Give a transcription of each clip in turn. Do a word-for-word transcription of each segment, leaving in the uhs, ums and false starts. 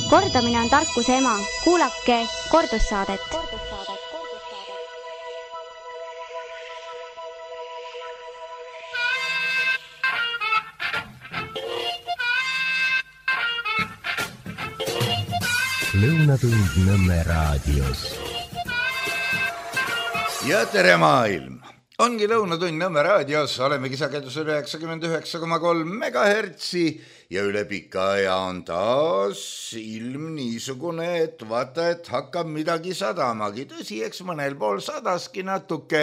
Kordamine on tarkuse ema. Kuulake kordussaadet. Lõunatund Nõmme raadios. Ja tere maailm! Ongi Lõunatund Nõmme raadios, olemegi sagedusel üheksakümmend üheksa koma kolm megahertsi ja üle pika aja on taas ilm niisugune, et vaata, et hakkab midagi sadamagi. Tõsi, eks mõnel pool sadaski natuke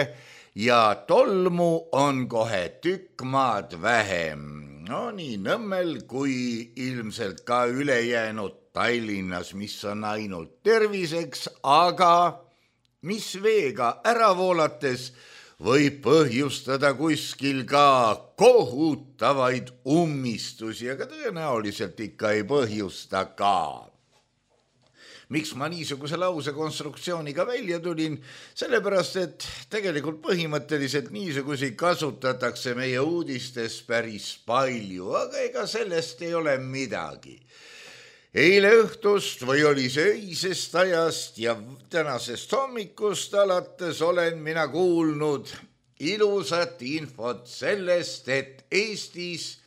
ja tolmu on kohe tükk maad vähem. No nii Nõmmel kui ilmselt ka ülejäänud Tallinnas, mis on ainult terviseks, aga mis veega ära voolates võib põhjustada kuskil ka kohutavaid ummistusi, aga tõenäoliselt ikka ei põhjusta ka. Miks ma niisuguse lause konstruktsiooniga välja tulin? Sellepärast, et tegelikult põhimõtteliselt niisugusi kasutatakse meie uudistes päris palju, aga ega sellest ei ole midagi. Eile õhtust või oli see öisest ajast ja tänasest hommikust alates olen mina kuulnud ilusat infot sellest, et Eestis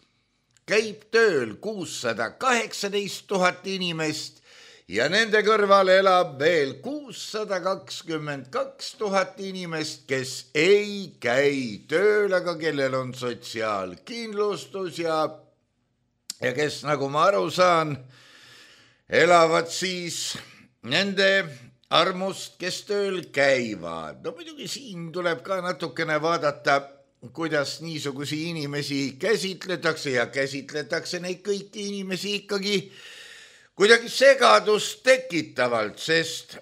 käib tööl kuussada kaheksateist tuhat inimest ja nende kõrval elab veel kuussada kakskümmend kaks tuhat inimest, kes ei käi tööl, aga kellel on sotsiaalkindlustus ja, ja kes, nagu ma aru saan, elavad siis nende armust, kes tööl käivad. No muidugi siin tuleb ka natukene vaadata, kuidas niisugusi inimesi käsitletakse ja käsitletakse neid kõiki inimesi ikkagi kuidagi segadust tekitavalt, sest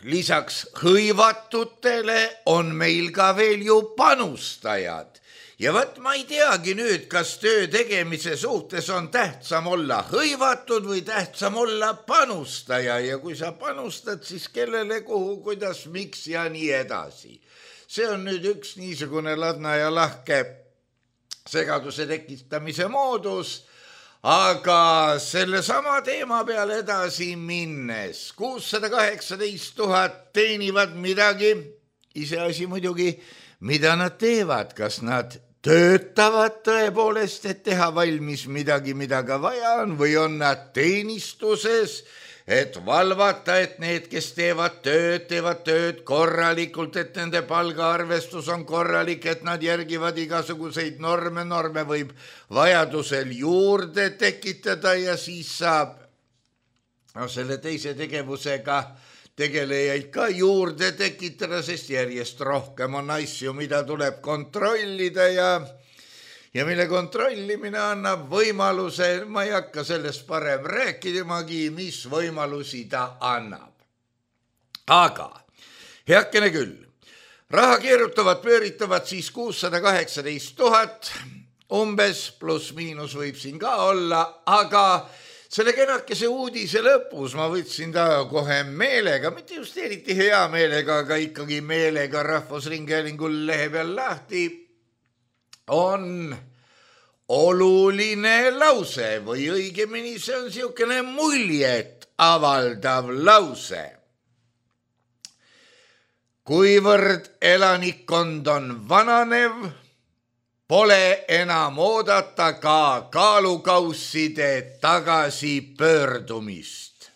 lisaks hõivatutele on meil ka veel ju panustajad. Ja võt ma ei teagi nüüd, kas töö tegemise suhtes on tähtsam olla hõivatud või tähtsam olla panustaja ja kui sa panustad, siis kellele, kuhu, kuidas, miks ja nii edasi. See on nüüd üks niisugune ladna ja lahke segaduse tekitamise moodus, aga selle sama teema peale edasi minnes kuussada kaheksateist tuhat teenivad midagi, iseasi muidugi, mida nad teevad, kas nad töötavad tõepoolest, et teha valmis midagi, mida ka vaja on, või on nad teenistuses, et valvata, et need, kes teevad tööd, teevad tööd korralikult, et nende palgaarvestus on korralik, et nad järgivad igasuguseid norme, norme võib vajadusel juurde tekitada ja siis saab no, selle teise tegevusega tegelejaid ka juurde tekitada, sest järjest rohkem on asju, mida tuleb kontrollida ja, ja mille kontrollimine annab võimaluse, ma ei hakka sellest parem rääkidamagi, mis võimalusi ta annab. Aga heakene küll, raha keerutavad, pööritavad siis kuussada kaheksateist tuhat, umbes pluss miinus võib siin ka olla, aga selle kenakese uudise lõpus ma võtsin ta kohe meelega, mitte just eriti hea meelega, aga ikkagi meelega Rahvusringhäälingul lehe peal lahti, on oluline lause või õigemini see on siukene muljet avaldav lause. Kuivõrd elanikkond on vananev, pole enam oodata ka kaalukausside tagasi pöördumist.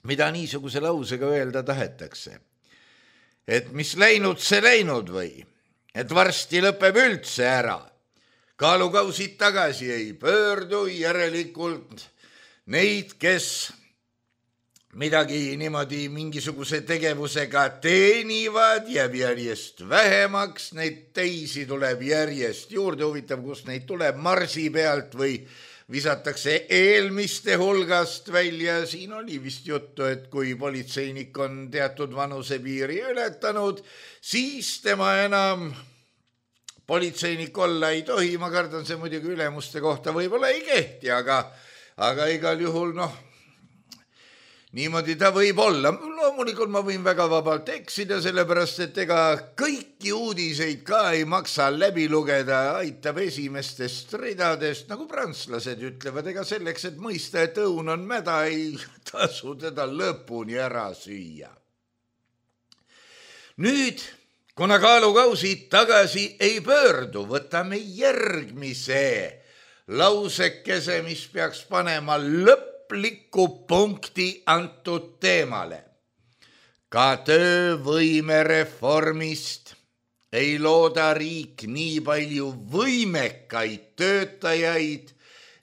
Mida niisuguse lausega öelda tahetakse? Et mis läinud, see läinud või? Et varsti lõpeb üldse ära. Kaalukausid tagasi ei pöördu, järelikult neid, kes midagi niimoodi mingisuguse tegevusega teenivad, jääb järjest vähemaks, neid teisi tuleb järjest juurde, huvitav, kus neid tuleb marsi pealt või visatakse eelmiste hulgast välja. Siin oli vist juttu, et kui politseinik on teatud vanusepiiri ületanud, siis tema enam politseinik olla ei tohi. Ma kardan, see muidugi ülemuste kohta võib-olla ei kehti, aga, aga igal juhul noh, niimoodi ta võib olla. Loomulikult ma võin väga vabalt eksida, sellepärast et ega kõiki uudiseid ka ei maksa läbi lugeda, aitab esimestest ridadest, nagu prantslased ütlevad, ega selleks, et mõista, et õun on mäda, ei tasu teda lõpuni ära süüa. Nüüd, kuna kaalukausid tagasi ei pöördu, võtame järgmise lausekese, mis peaks panema lõpliku punkti antud teemale. Ka töövõimereformist ei looda riik nii palju võimekaid töötajaid,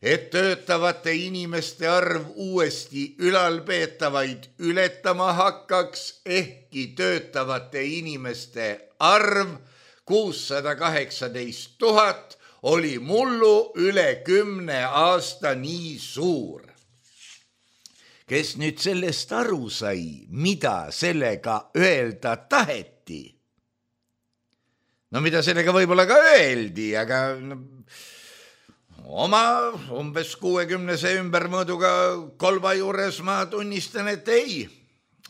et töötavate inimeste arv uuesti ülalpeetavaid ületama hakkaks, ehkki töötavate inimeste arv kuussada kaheksateist tuhat oli mullu üle kümne aasta nii suur. Kes nüüd sellest aru sai, mida sellega öelda taheti? No mida sellega võib-olla ka öeldi, aga no, oma umbes kuuekümnese ümbermõõduga kolba juures ma tunnistan, et ei.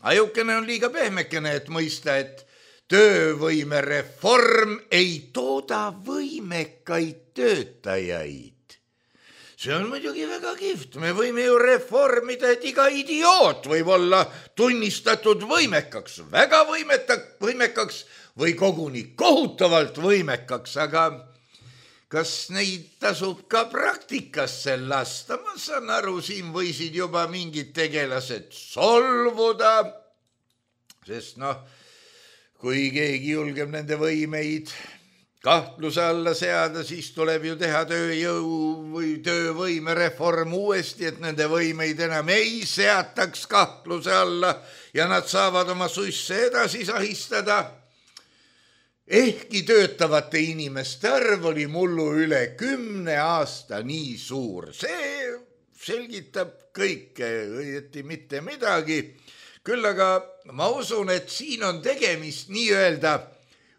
Ajukene on liiga pehmekene, et mõista, et töövõimereform ei tooda võimekaid töötajaid. See on muidugi väga kihvt. Me võime ju reformida, et iga idioot võib olla tunnistatud võimekaks, väga võimekaks või koguni kohutavalt võimekaks, aga kas neid tasub ka praktikasse lasta? Ma saan aru, siin võisid juba mingid tegelased solvuda, sest noh, kui keegi julgeb nende võimeid kahtluse alla seada, siis tuleb ju teha tööjõu või töövõimereform uuesti, et nende võimeid enam ei seataks kahtluse alla ja nad saavad oma suisse edasi sahistada. Ehkki töötavate inimeste arv oli mullu üle kümne aasta nii suur. See selgitab kõike, õieti mitte midagi. Küll aga ma usun, et siin on tegemist nii-öelda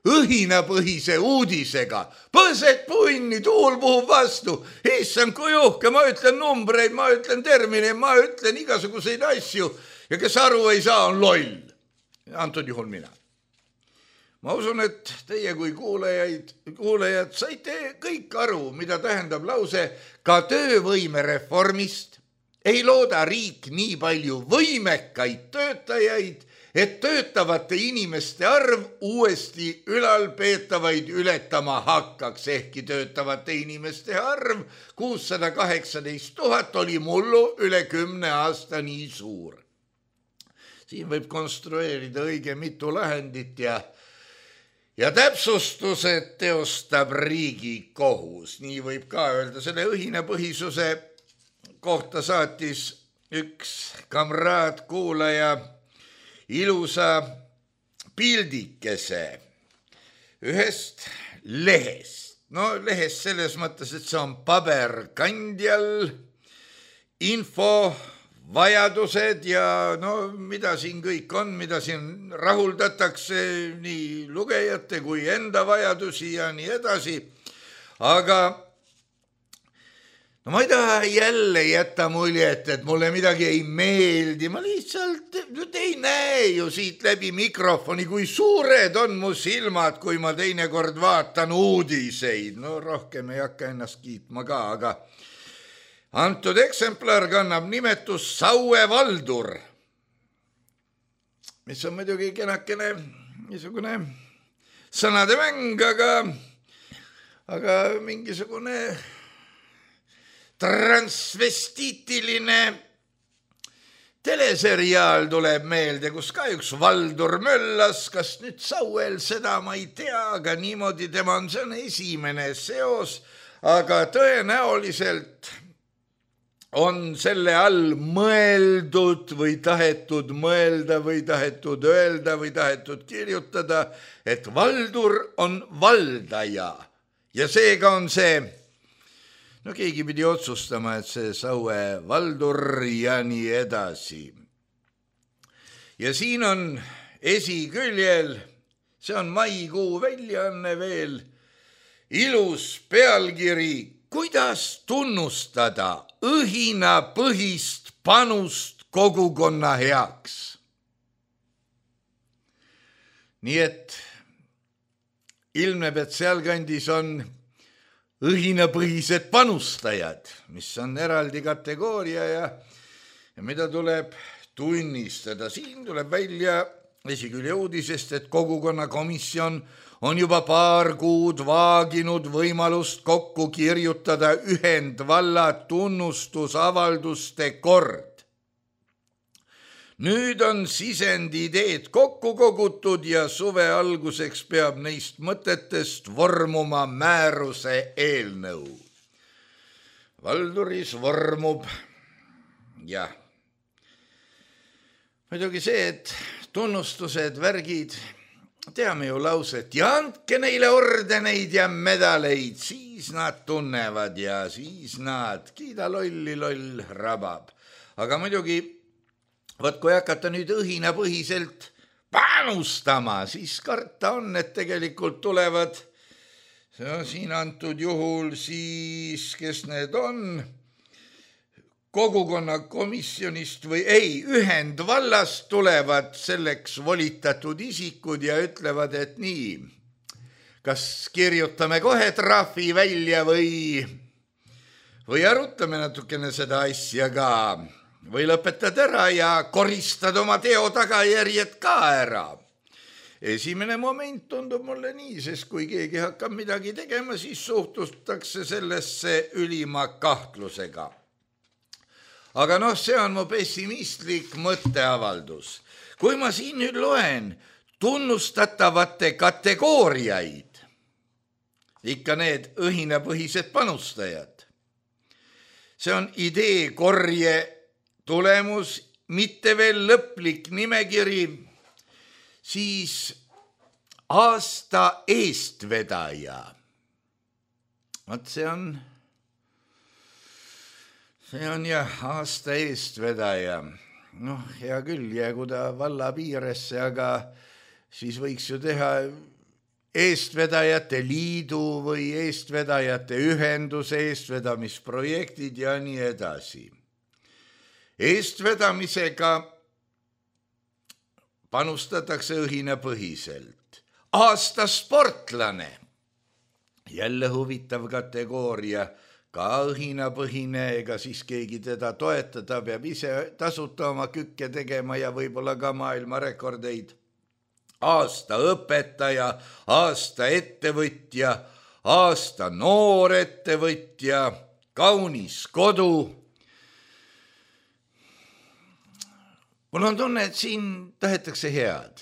õhinapõhise uudisega. Põsed punni, tuul puhub vastu. Issand, kui uhke, ma ütlen numbreid, ma ütlen termineid, ma ütlen igasuguseid asju. Ja kes aru ei saa, on loll. Antud juhul mina. Ma usun, et teie kui kuulajaid, kuulajad saite kõik aru, mida tähendab lause ka töövõimereformist. Ei looda riik nii palju võimekaid töötajaid, et töötavate inimeste arv uuesti ülalpeetavaid ületama hakkaks, ehkki töötavate inimeste arv kuussada kaheksateist tuhat oli mullu üle kümne aasta nii suur. Siin võib konstrueerida õige mitu lahendit ja Ja täpsustused teostab riigi kohus. Nii võib ka öelda. Selle õhinapõhisuse kohta saatis üks kamraad kuulaja ilusa pildikese ühest lehest. No lehest selles mõttes, et see on paberkandjal info vajadused ja no mida siin kõik on, mida siin rahuldatakse nii lugejate kui enda vajadusi ja nii edasi. Aga no ma ei taha jälle jätta muljet, et mulle midagi ei meeldi. Ma lihtsalt nüüd ei näe ju siit läbi mikrofoni, kui suured on mu silmad, kui ma teinekord vaatan uudiseid. No rohkem ei hakka ennast kiitma ka, aga antud eksemplar kannab nimetus Saue Valdur, mis on muidugi kenakene niisugune sõnade mäng, aga, aga mingisugune transvestiitiline teleseriaal tuleb meelde, kus ka üks Valdur möllas, kas nüüd Sauel, seda ma ei tea, aga niimoodi tema on, see on esimene seos, aga tõenäoliselt on selle all mõeldud või tahetud mõelda või tahetud öelda või tahetud kirjutada, et Valdur on valdaja ja seega on see, no keegi pidi otsustama, et see Saue Valdur ja nii edasi. Ja siin on esiküljel, see on maikuu väljaanne veel, ilus pealkiri, kuidas tunnustada õhinapõhist panust kogukonna heaks. Nii et ilmneb, et sealkandis on õhinapõhised panustajad, mis on eraldi kategooria ja, ja mida tuleb tunnistada. Siin tuleb välja esikülje uudisest, et kogukonnakomisjon on juba paar kuud vaaginud võimalust kokku kirjutada ühendvalla tunnustusavalduste kord. Nüüd on sisendideed kokku kogutud ja suve alguseks peab neist mõtetest vormuma määruse eelnõu. Valduris vormub, jah. Muidugi see, et tunnustused, värgid, teame ju lauset ja andke neile ordeneid ja medaleid, siis nad tunnevad ja siis nad kiida lolli loll rabab. Aga muidugi võt, kui hakata nüüd õhinapõhiselt panustama, siis karta on, et tegelikult tulevad siin antud juhul siis, kes need on, kogukonnakomisjonist või ei, ühendvallast tulevad selleks volitatud isikud ja ütlevad, et nii, kas kirjutame kohe trahvi välja või, või arutame natukene seda asja ka. Või lõpetad ära ja koristad oma teo tagajärjed ka ära. Esimene moment tundub mulle nii, sest kui keegi hakkab midagi tegema, siis suhtutakse sellesse ülima kahtlusega. Aga noh, see on mu pessimistlik mõtteavaldus. Kui ma siin nüüd loen tunnustatavate kategooriaid, ikka need õhinapõhised panustajad, see on idee korje tulemus, mitte veel lõplik nimekiri, siis aasta eestvedaja. Vaat see on, see on jah, aasta eestvedaja. Noh, hea küll, jäägu ta valla piiresse, aga siis võiks ju teha eestvedajate liidu või eestvedajate ühenduse eestvedamisprojektid ja nii edasi. Eestvedamisega panustatakse õhinapõhiselt. Aasta sportlane, jälle huvitav kategooria, ka õhinapõhine, ega siis keegi teda toetada, peab ise tasuta oma kükke tegema ja võib-olla ka maailmarekordeid. Aasta õpetaja, aasta ettevõtja, aasta noor ettevõtja, kaunis kodu. Mul on tunne, et siin tahetakse head.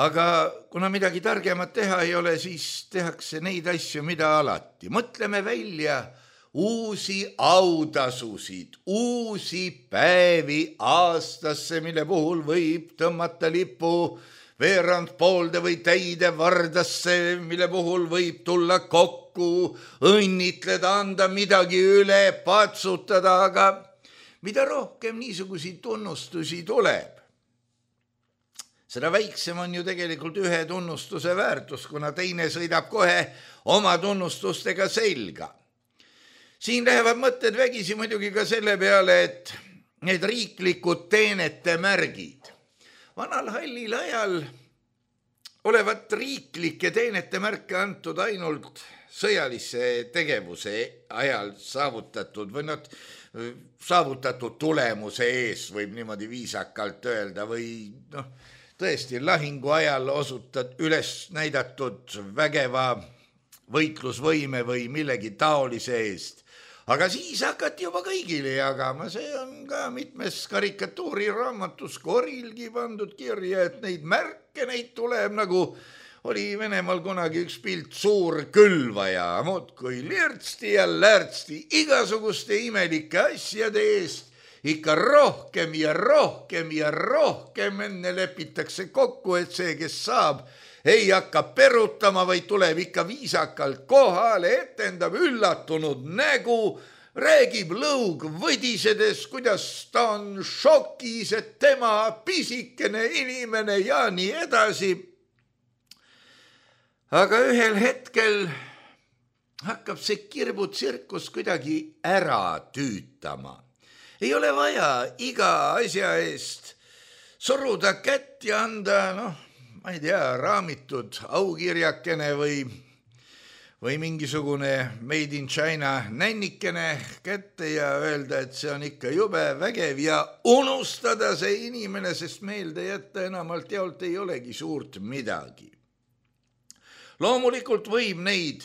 Aga kuna midagi targemat teha ei ole, siis tehakse neid asju, mida alati. Mõtleme välja uusi autasusid, uusi päevi aastasse, mille puhul võib tõmmata lipu veerand poolde või täide vardasse, mille puhul võib tulla kokku, õnnitleda, anda midagi üle, patsutada, aga mida rohkem niisugusi tunnustusi tuleb, seda väiksem on ju tegelikult ühe tunnustuse väärtus, kuna teine sõidab kohe oma tunnustustega selga. Siin lähevad mõtted vägisi muidugi ka selle peale, et need riiklikud teenete märgid. Vanal hallil ajal olevat riiklike teenete märke antud ainult sõjalise tegevuse ajal saavutatud või nad saavutatud tulemuse ees, võib niimoodi viisakalt öelda, või noh, tõesti lahingu ajal osutad üles näidatud vägeva võitlusvõime või millegi taolise eest. Aga siis hakati juba kõigile jagama, see on ka mitmes karikatuuriraamatus Korilgi pandud kirja, et neid märke, neid tuleb nagu oli Venemaal kunagi üks pilt suur külvaja, muudkui lirtsti ja lärtsti igasuguste imelike asjade eest, ikka rohkem ja rohkem ja rohkem enne lepitakse kokku, et see, kes saab, ei hakka perutama, vaid tuleb ikka viisakalt kohale, etendab üllatunud nägu, räägib lõug võdisedes, kuidas ta on šokis, et tema pisikene inimene ja nii edasi. Aga ühel hetkel hakkab see kirbutsirkus kuidagi ära tüütama. ei ole vaja iga asja eest suruda kätt ja anda, noh, ma ei tea, raamitud aukirjakene või, või mingisugune made in China nännikene kätte ja öelda, et see on ikka jube vägev ja unustada see inimene, sest meelde jätta enamalt jaolt ei olegi suurt midagi. Loomulikult võib neid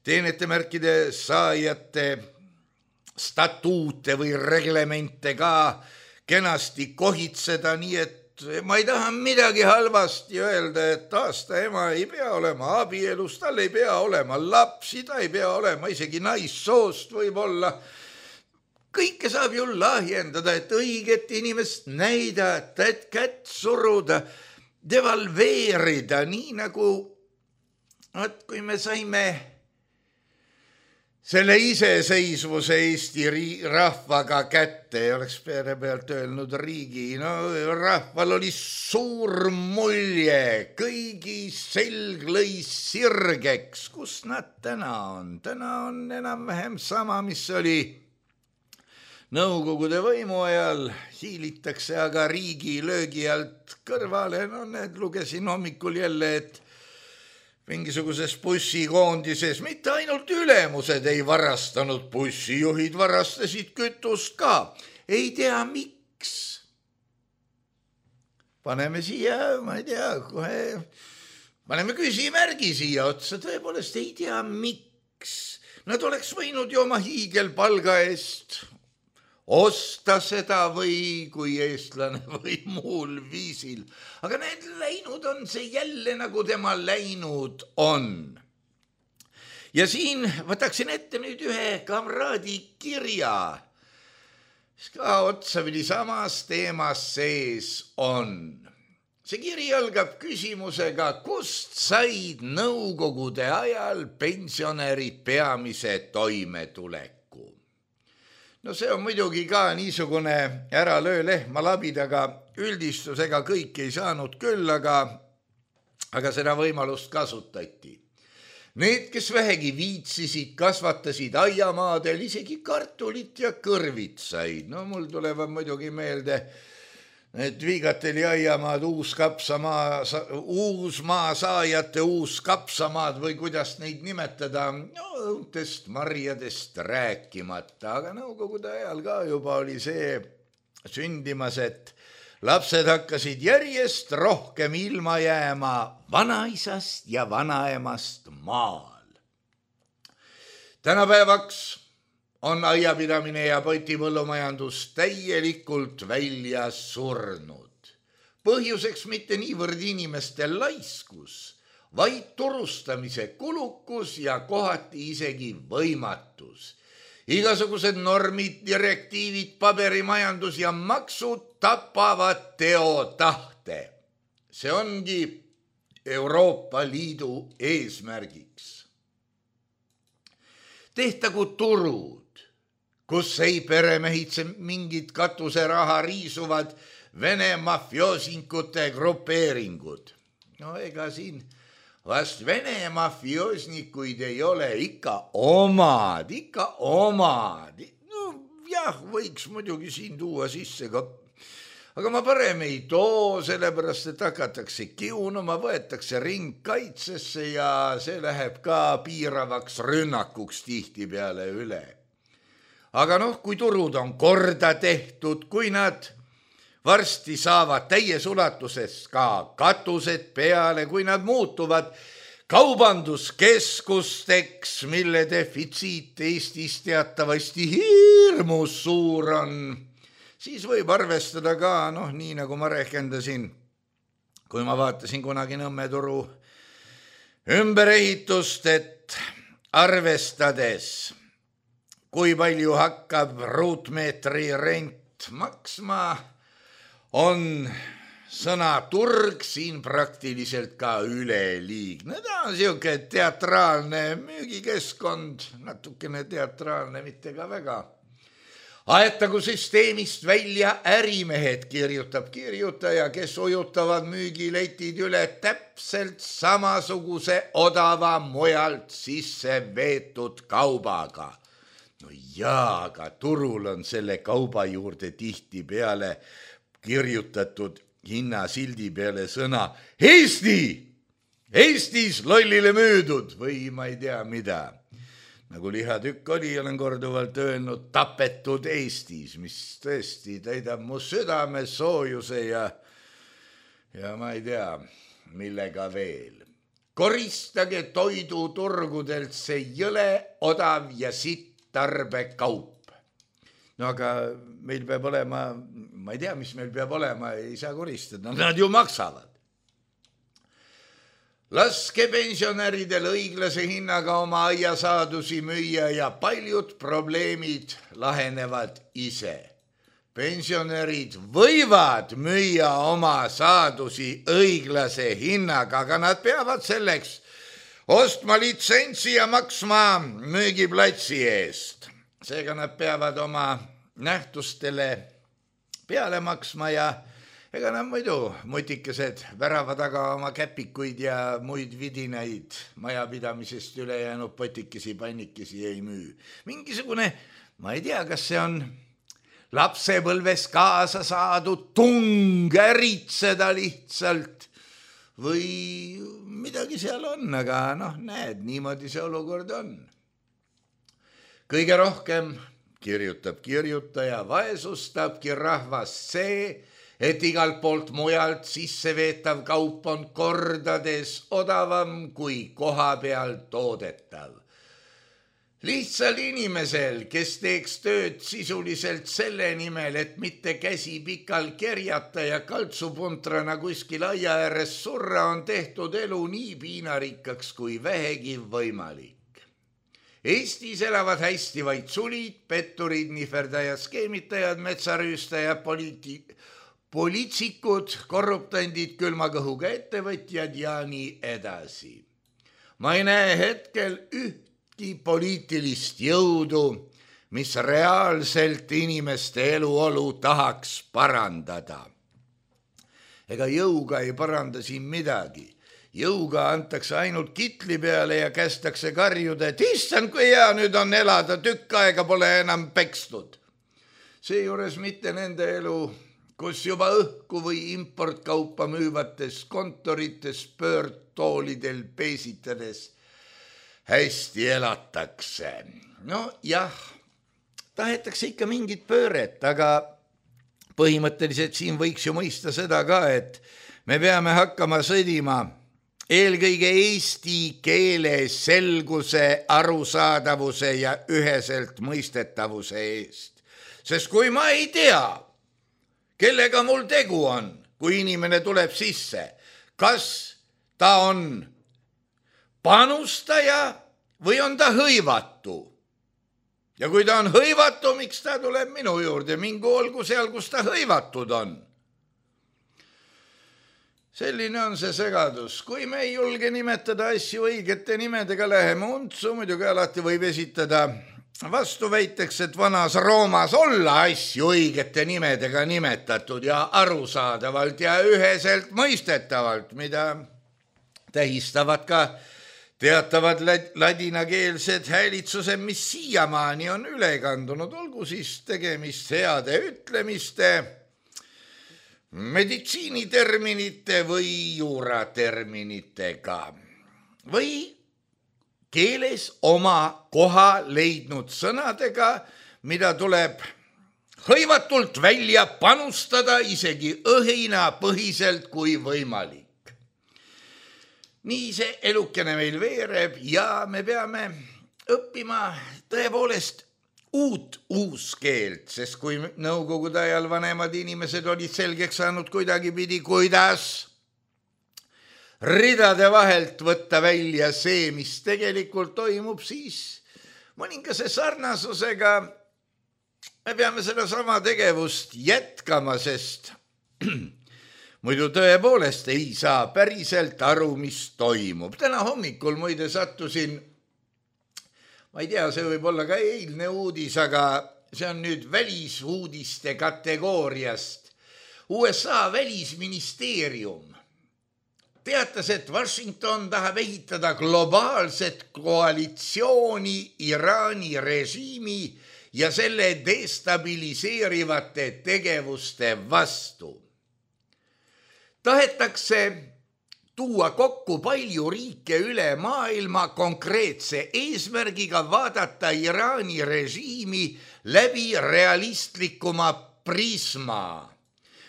teenetemärkide saajate statuute või reglemente ka kenasti kohitseda, nii et ma ei taha midagi halvasti öelda, et aasta ema ei pea olema abielus, tal ei pea olema lapsi, ta ei pea olema isegi naissoost võib-olla. Kõike saab ju lahjendada, et õiget inimest näidata, et kätt suruda, devalveerida, nii nagu, et kui me saime selle iseseisvuse Eesti rahvaga kätte, oleks peale pealt öelnud riigi, no rahval oli suur mulje, kõigi selg lõi sirgeks, kus nad täna on? Täna on enam-vähem sama, mis oli Nõukogude võimu ajal, hiilitakse aga riigi löögi alt kõrvale, no need lugesin hommikul jälle, et mingisuguses bussikoondises mitte ainult ülemused ei varastanud, bussijuhid varastasid kütust ka. Ei tea, miks. Paneme siia, ma ei tea, kohe, paneme küsimärgi siia otsa, tõepoolest ei tea, miks. Nad oleks võinud ju oma hiigelpalga eest osta seda või kui eestlane või muul viisil. Aga need läinud on see jälle nagu tema läinud on. Ja siin võtaksin ette nüüd ühe kamraadi kirja, mis ka otsapidi samas teemas sees on. See kiri algab küsimusega, kust said nõukogude ajal pensionärid peamise toimetuleku. No see on muidugi ka niisugune ära löö lehma labidaga üldistusega, kõik ei saanud küll, aga, aga seda võimalust kasutati. Need, kes vähegi viitsisid, kasvatasid aiamaadel isegi kartulit ja kõrvitsaid. No mul tulevad muidugi meelde need Viigateli aiamaad, uus kapsamaa, uus maa saajate uus kapsamaad või kuidas neid nimetada, no õuntest marjadest rääkimata, aga nõukogude ajal ka juba oli see sündimas, et lapsed hakkasid järjest rohkem ilma jääma vanaisast ja vanaemast maal. Tänapäevaks on aiapidamine ja potipõllumajandus täielikult välja surnud. Põhjuseks mitte niivõrd inimeste laiskus, vaid turustamise kulukus ja kohati isegi võimatus. Igasugused normid, direktiivid, paberimajandus ja maksud tapavad teotahte. See ongi Euroopa Liidu eesmärgiks. Tehtagu turud, kus ei peremehitse mingid katuseraha riisuvad Vene mafioosinkute grupeeringud. No ega siin vast Vene mafioosnikuid ei ole, ikka omad, ikka omad. No jah, võiks muidugi siin tuua sisse ka, aga ma parem ei too, sellepärast et hakatakse kiunuma, võetakse ringkaitsesse ja see läheb ka piiravaks rünnakuks tihti peale üle. Aga noh, kui turud on korda tehtud, kui nad varsti saavad täies ulatuses ka katused peale, kui nad muutuvad kaubanduskeskusteks, mille defitsiit Eestis teatavasti hirmus suur on, siis võib arvestada ka, noh, nii nagu ma rehkendasin, kui ma vaatasin kunagi Nõmme turu ümberehitust, et arvestades, kui palju hakkab ruutmeetri rent maksma, on sõna turg siin praktiliselt ka üleliigne. Ta on siuke teatraalne müügikeskkond, natukene teatraalne, mitte ka väga. Aetagu süsteemist välja ärimehed, kirjutab kirjutaja, kes ujutavad müügiletid üle täpselt samasuguse odava mujalt sisse veetud kaubaga. no jaa, aga turul on selle kauba juurde tihti peale kirjutatud hinnasildi peale sõna Eesti, Eestis lollile müüdud või ma ei tea mida. Nagu lihatükk oli, olen korduvalt öelnud, tapetud Eestis, mis tõesti täidab mu südame soojuse ja, ja ma ei tea, millega veel. Koristage toiduturgudelt see jõle, odav ja sitt tarbekaup. No aga meil peab olema, ma ei tea, mis meil peab olema, ei saa koristada, nad ju maksavad. Laske pensionäridel õiglase hinnaga oma aiasaadusi müüa ja paljud probleemid lahenevad ise. Pensionärid võivad müüa oma saadusi õiglase hinnaga, aga nad peavad selleks ostma litsentsi ja maksma müügiplatsi eest. Seega nad peavad oma nähtustele peale maksma ja ega nad muidu mutikesed värava taga oma käpikuid ja muid vidinaid majapidamisest üle jäänud potikesi, pannikesi ei müü. Mingisugune, ma ei tea, kas see on lapsepõlves kaasa saadud tung äritseda lihtsalt või midagi seal on, aga noh, näed, niimoodi see olukord on. Kõige rohkem kirjutab kirjutaja, vaesustabki rahvast see, et igalt poolt mujalt sisseveetav kaup on kordades odavam kui koha peal toodetav. Lihtsal inimesel, kes teeks tööd sisuliselt selle nimel, et mitte käsi pikal kerjata ja kaltsupuntrana kuskil aia ääres surra, on tehtud elu nii piinarikkaks kui vähegi võimalik. Eestis elavad hästi vaid sulid, petturid, nihverdajad, skeemitajad, metsarüüstajad, poliiti- poliitsikud, korruptandid, külmakõhuga ettevõtjad ja nii edasi. Ma ei näe hetkel ühtki poliitilist jõudu, mis reaalselt inimeste eluolu tahaks parandada. Ega jõuga ei paranda siin midagi. Jõuga antakse ainult kitli peale ja kästakse karjuda, et issand, kui hea nüüd on elada, tükk aega pole enam pekstud. Seejuures mitte nende elu, kus juba õhku või importkaupa müüvates kontorites pöördtoolidel peesitades hästi elatakse. No jah, tahetakse ikka mingit pööret, aga põhimõtteliselt siin võiks ju mõista seda ka, et me peame hakkama sõdima eelkõige eesti keele selguse, arusaadavuse ja üheselt mõistetavuse eest. Sest kui ma ei tea, kellega mul tegu on, kui inimene tuleb sisse, kas ta on panustaja või on ta hõivatu? Ja kui ta on hõivatu, miks ta tuleb minu juurde? Mingu olgu seal, kus ta hõivatud on. Selline on see segadus. Kui me ei julge nimetada asju õigete nimedega, läheme untsu, muidugi alati võib esitada vastu väiteks, et vanas Roomas olla asju õigete nimedega nimetatud ja arusaadavalt ja üheselt mõistetavalt, mida tähistavad ka teatavad ladinakeelsed häälitsused, mis siiamaani on üle kandunud, olgu siis tegemist heade ütlemiste, meditsiiniterminite või juuraterminitega või keeles oma koha leidnud sõnadega, mida tuleb hõivatult välja panustada isegi õhina põhiselt kui võimalik. Nii see elukene meil veereb ja me peame õppima tõepoolest uut uuskeelt, sest kui nõukogude ajal vanemad inimesed olid selgeks saanud kuidagi pidi, kuidas ridade vahelt võtta välja see, mis tegelikult toimub, siis mõningase sarnasusega me peame seda sama tegevust jätkama, sest muidu tõepoolest ei saa päriselt aru, mis toimub. Täna hommikul muide sattusin, ma ei tea, see võib olla ka eilne uudis, aga see on nüüd välisuudiste kategooriast. U S A välisministeerium teatas, et Washington tahab ehitada globaalset koalitsiooni Iraani režiimi ja selle destabiliseerivate tegevuste vastu. Tahetakse tuua kokku palju riike üle maailma konkreetse eesmärgiga vaadata Iraani režiimi läbi realistlikuma prisma,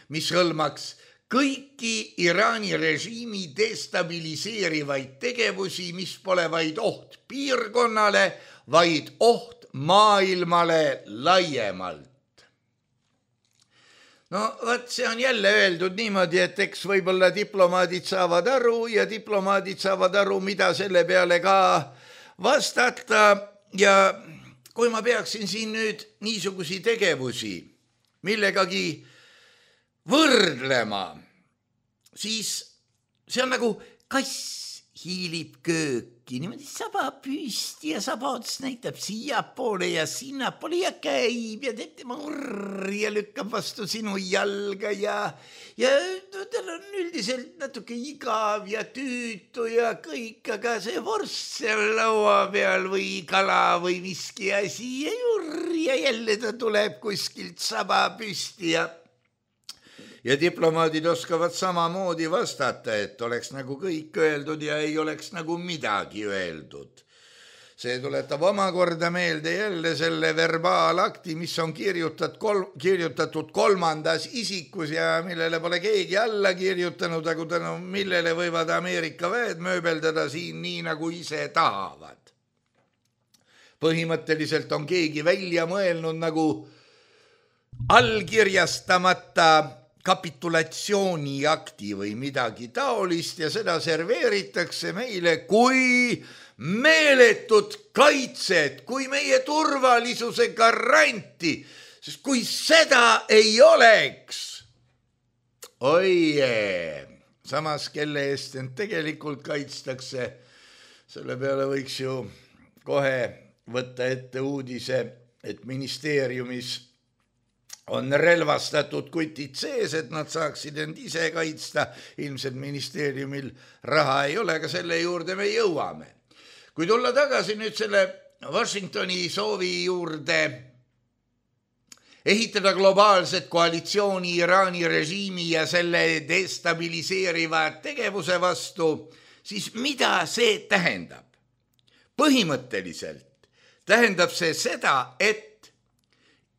mis hõlmaks kõiki Iraani režiimi destabiliseerivaid tegevusi, mis pole vaid oht piirkonnale, vaid oht maailmale laiemalt. No võt, see on jälle öeldud niimoodi, et eks võib-olla diplomaadid saavad aru ja diplomaadid saavad aru, mida selle peale ka vastata. Ja kui ma peaksin siin nüüd niisugusi tegevusi millegagi võrdlema, siis see on nagu kass hiilib kööki, niimoodi saba püsti ja saba ots näitab siia poole ja sinna poole ja käib ja teeb tema urr ja lükkab vastu sinu jalga ja, ja no, tal on üldiselt natuke igav ja tüütu ja kõik, aga see vorst seal laua peal või kala või miski asi ja urr ja jälle ta tuleb kuskilt saba püsti ja Ja diplomaadid oskavad samamoodi vastata, et oleks nagu kõik öeldud ja ei oleks nagu midagi öeldud. See tuletab omakorda meelde jälle selle verbaalakti, mis on kirjutat kol- kirjutatud kolmandas isikus ja millele pole keegi alla kirjutanud, aga tänu millele võivad Ameerika väed mööbeldada siin nii, nagu ise tahavad. Põhimõtteliselt on keegi välja mõelnud nagu allkirjastamata kapitulatsiooniakti või midagi taolist ja seda serveeritakse meile kui meeletut kaitset, kui meie turvalisuse garanti, sest kui seda ei oleks, oi, samas kelle eest end tegelikult kaitstakse, selle peale võiks ju kohe võtta ette uudise, et ministeeriumis on relvastatud kutid sees, et nad saaksid end ise kaitsta. Ilmselt ministeeriumil raha ei ole, aga selle juurde me jõuame. Kui tulla tagasi nüüd selle Washingtoni soovi juurde ehitada globaalset koalitsiooni Iraani režiimi ja selle destabiliseeriva tegevuse vastu, siis mida see tähendab? Põhimõtteliselt tähendab see seda, et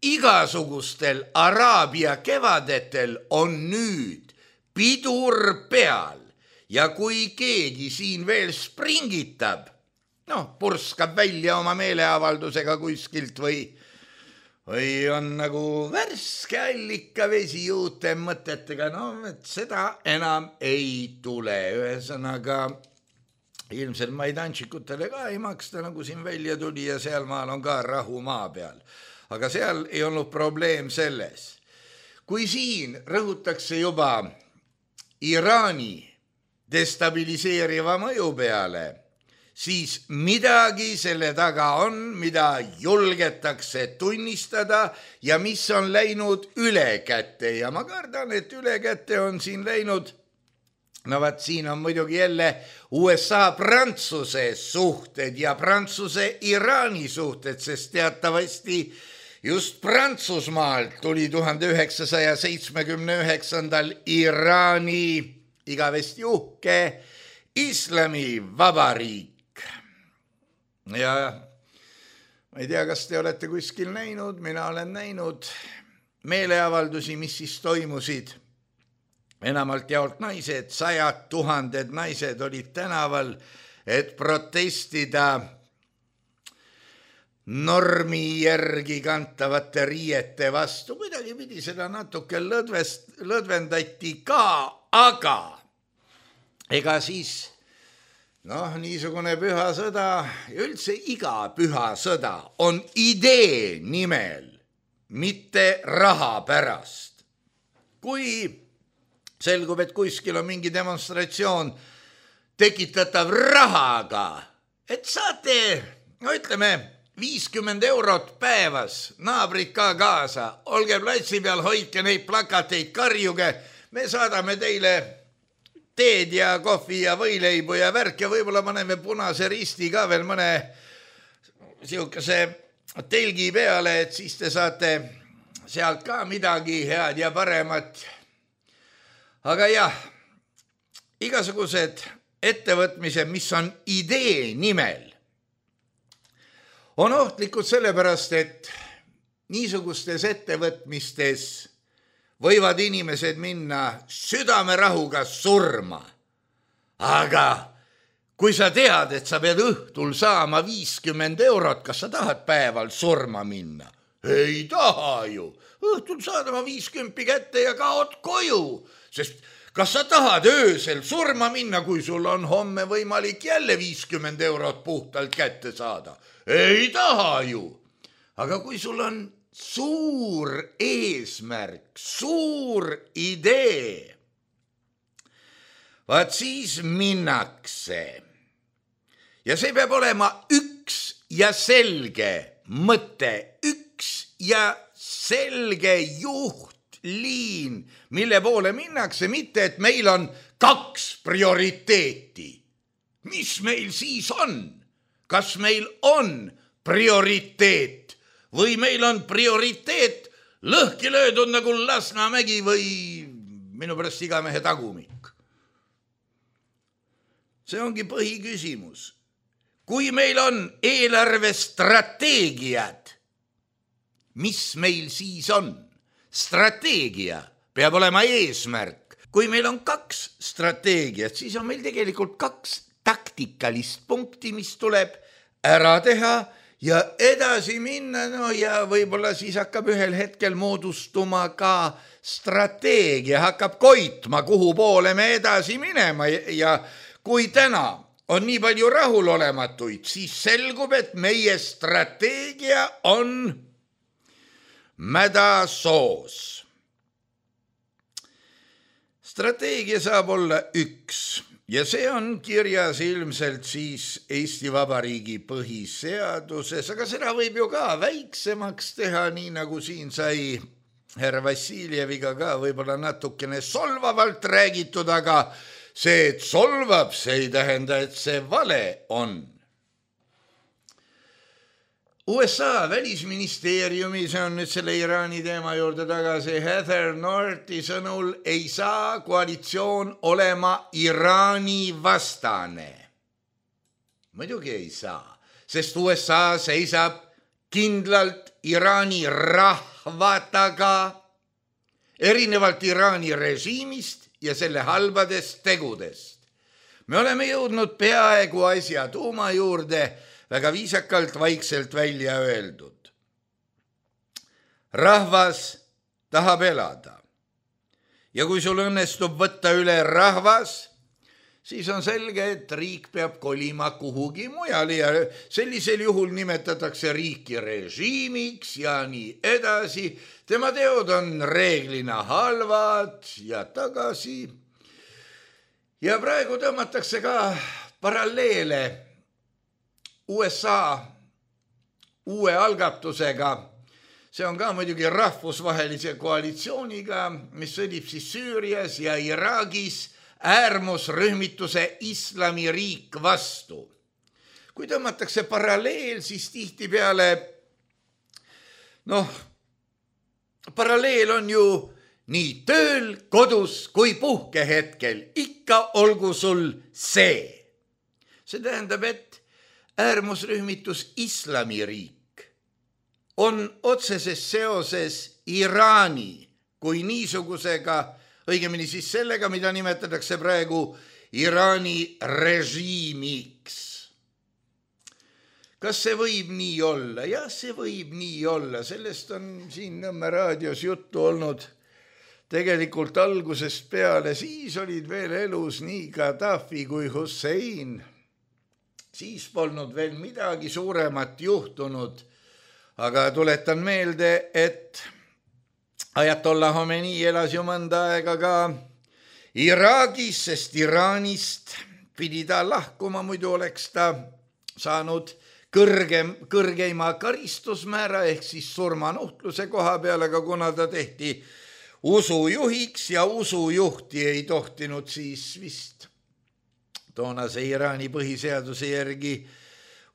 igasugustel Araabia kevadetel on nüüd pidur peal ja kui keegi siin veel springitab, noh, purskab välja oma meeleavaldusega kuskilt või, või on nagu värske allikavesi uute mõtetega, no et seda enam ei tule. Ühesõnaga, ilmselt maidanšikutele ka ei maksta, nagu siin välja tuli ja seal maal on ka rahu maa peal. Aga seal ei olnud probleem selles. Kui siin rõhutakse juba Iraani destabiliseeriva mõju peale, siis midagi selle taga on, mida julgetakse tunnistada ja mis on läinud ülekäte. Ja ma kardan, et ülekäte on siin läinud, no vaat siin on muidugi jälle U S A-Prantsuse suhted ja Prantsuse-Iraani suhted, sest teatavasti just Prantsusmaalt tuli tuhande üheksasaja seitsmekümne üheksandal Iraani igavesti uhke islamivabariik. Ja ma ei tea, kas te olete kuskil näinud, mina olen näinud meeleavaldusi, mis siis toimusid. Enamalt jaolt naised, sajad tuhanded naised olid tänaval, et protestida normi järgi kantavate riiete vastu. Kuidagi pidi seda natuke lõdvest, lõdvendati ka, aga ega siis noh, niisugune püha sõda, üldse iga püha sõda on idee nimel, mitte raha pärast. Kui selgub, et kuskil on mingi demonstratsioon tekitatav rahaga, et saate, no ütleme, viiskümmend eurot päevas, naabrid ka kaasa, olge platsi peal, hoidke neid plakateid, karjuge, me saadame teile teed ja kohvi ja võileibu ja värk ja võib-olla paneme punase risti ka veel mõne siukese telgi peale, et siis te saate sealt ka midagi head ja paremat. Aga jah, igasugused ettevõtmised, mis on idee nimel, on ohtlikud sellepärast, et niisugustes ettevõtmistes võivad inimesed minna südamerahuga surma. Aga kui sa tead, et sa pead õhtul saama viiskümmend eurot, kas sa tahad päeval surma minna? Ei taha ju. Õhtul saad oma viiskümmend kätte ja kaod koju. Sest kas sa tahad öösel surma minna, kui sul on homme võimalik jälle viiskümmend eurot puhtalt kätte saada? Ei taha ju. Aga kui sul on suur eesmärk, suur idee, vaat siis minnakse. Ja see peab olema üks ja selge mõte, üks ja selge juhtliin, mille poole minnakse, mitte et meil on kaks prioriteeti. Mis meil siis on? Kas meil on prioriteet? Või meil on prioriteet lõhki löödud nagu Lasnamägi või minu pärast Igamehe tagumik. See ongi põhiküsimus. Kui meil on eelarvestrateegiad, mis meil siis on? Strateegia peab olema eesmärk. Kui meil on kaks strateegiat, siis on meil tegelikult kaks taktikalist punkti, mis tuleb ära teha ja edasi minna, no ja võib-olla siis hakkab ühel hetkel moodustuma ka strateegia, hakkab koitma, kuhu poole me edasi minema ja kui täna on nii palju rahulolematuid, siis selgub, et meie strateegia on mädasoos. Strateegia saab olla üks. Ja see on kirjas ilmselt siis Eesti Vabariigi põhiseaduses, aga seda võib ju ka väiksemaks teha, nii nagu siin sai härra Vassiljeviga ka võib-olla natukene solvavalt räägitud, aga see, et solvab, see ei tähenda, et see vale on. U S A välisministeeriumi, see on nüüd selle Iraani teema juurde tagasi, Heather Northi sõnul ei saa koalitsioon olema Iraani vastane. Muidugi ei saa, sest U S A seisab kindlalt Iraani rahva taga, erinevalt Iraani režiimist ja selle halbadest tegudest. Me oleme jõudnud peaaegu asja tuuma juurde, väga viisakalt vaikselt välja öeldud. Rahvas tahab elada. Ja kui sul õnnestub võtta üle rahvas, siis on selge, et riik peab kolima kuhugi mujale ja sellisel juhul nimetatakse riiki režiimiks ja nii edasi. Tema teod on reeglina halvad ja tagasi. Ja praegu tõmmatakse ka paralleele U S A uue algatusega. See on ka muidugi rahvusvahelise koalitsiooniga, mis sõdib siis Süürias ja Iraagis äärmusrühmituse islamiriik vastu. Kui tõmmatakse paralleel, siis tihti peale, noh, paralleel on ju nii tööl, kodus kui puhkehetkel. Ikka olgu sul see. See tähendab, et äärmusrühmitus islamiriik on otseses seoses Iraani kui niisugusega, õigemini siis sellega, mida nimetatakse praegu Iraani režiimiks. Kas see võib nii olla? Jah, see võib nii olla. Sellest on siin Nõmme raadios juttu olnud tegelikult algusest peale. Siis olid veel elus nii Gaddafi kui Hussein. Siis polnud veel midagi suuremat juhtunud, aga tuletan meelde, et Ajatollah Khomeini elas ju mõnda aega ka Iraagis, sest Iraanist pidi ta lahkuma, muidu oleks ta saanud kõrgem, kõrgeima karistusmäära ehk siis surmanuhtluse koha peal, aga kuna ta tehti usujuhiks ja usujuhti ei tohtinud siis vist toonase Iraani põhiseaduse järgi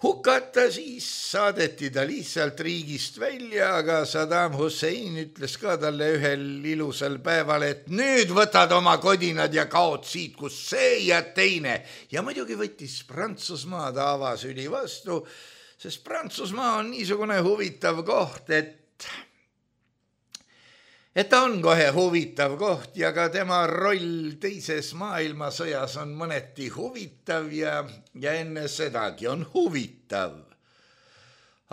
hukata, siis saadeti ta lihtsalt riigist välja, aga Saddam Hussein ütles ka talle ühel ilusal päeval, et nüüd võtad oma kodinad ja kaod siit, kus see ja teine. Ja muidugi võttis Prantsusmaa ta avasüli vastu, sest Prantsusmaa on niisugune huvitav koht, et et ta on kohe huvitav koht ja ka tema roll teises maailmasõjas on mõneti huvitav ja, ja enne sedagi on huvitav.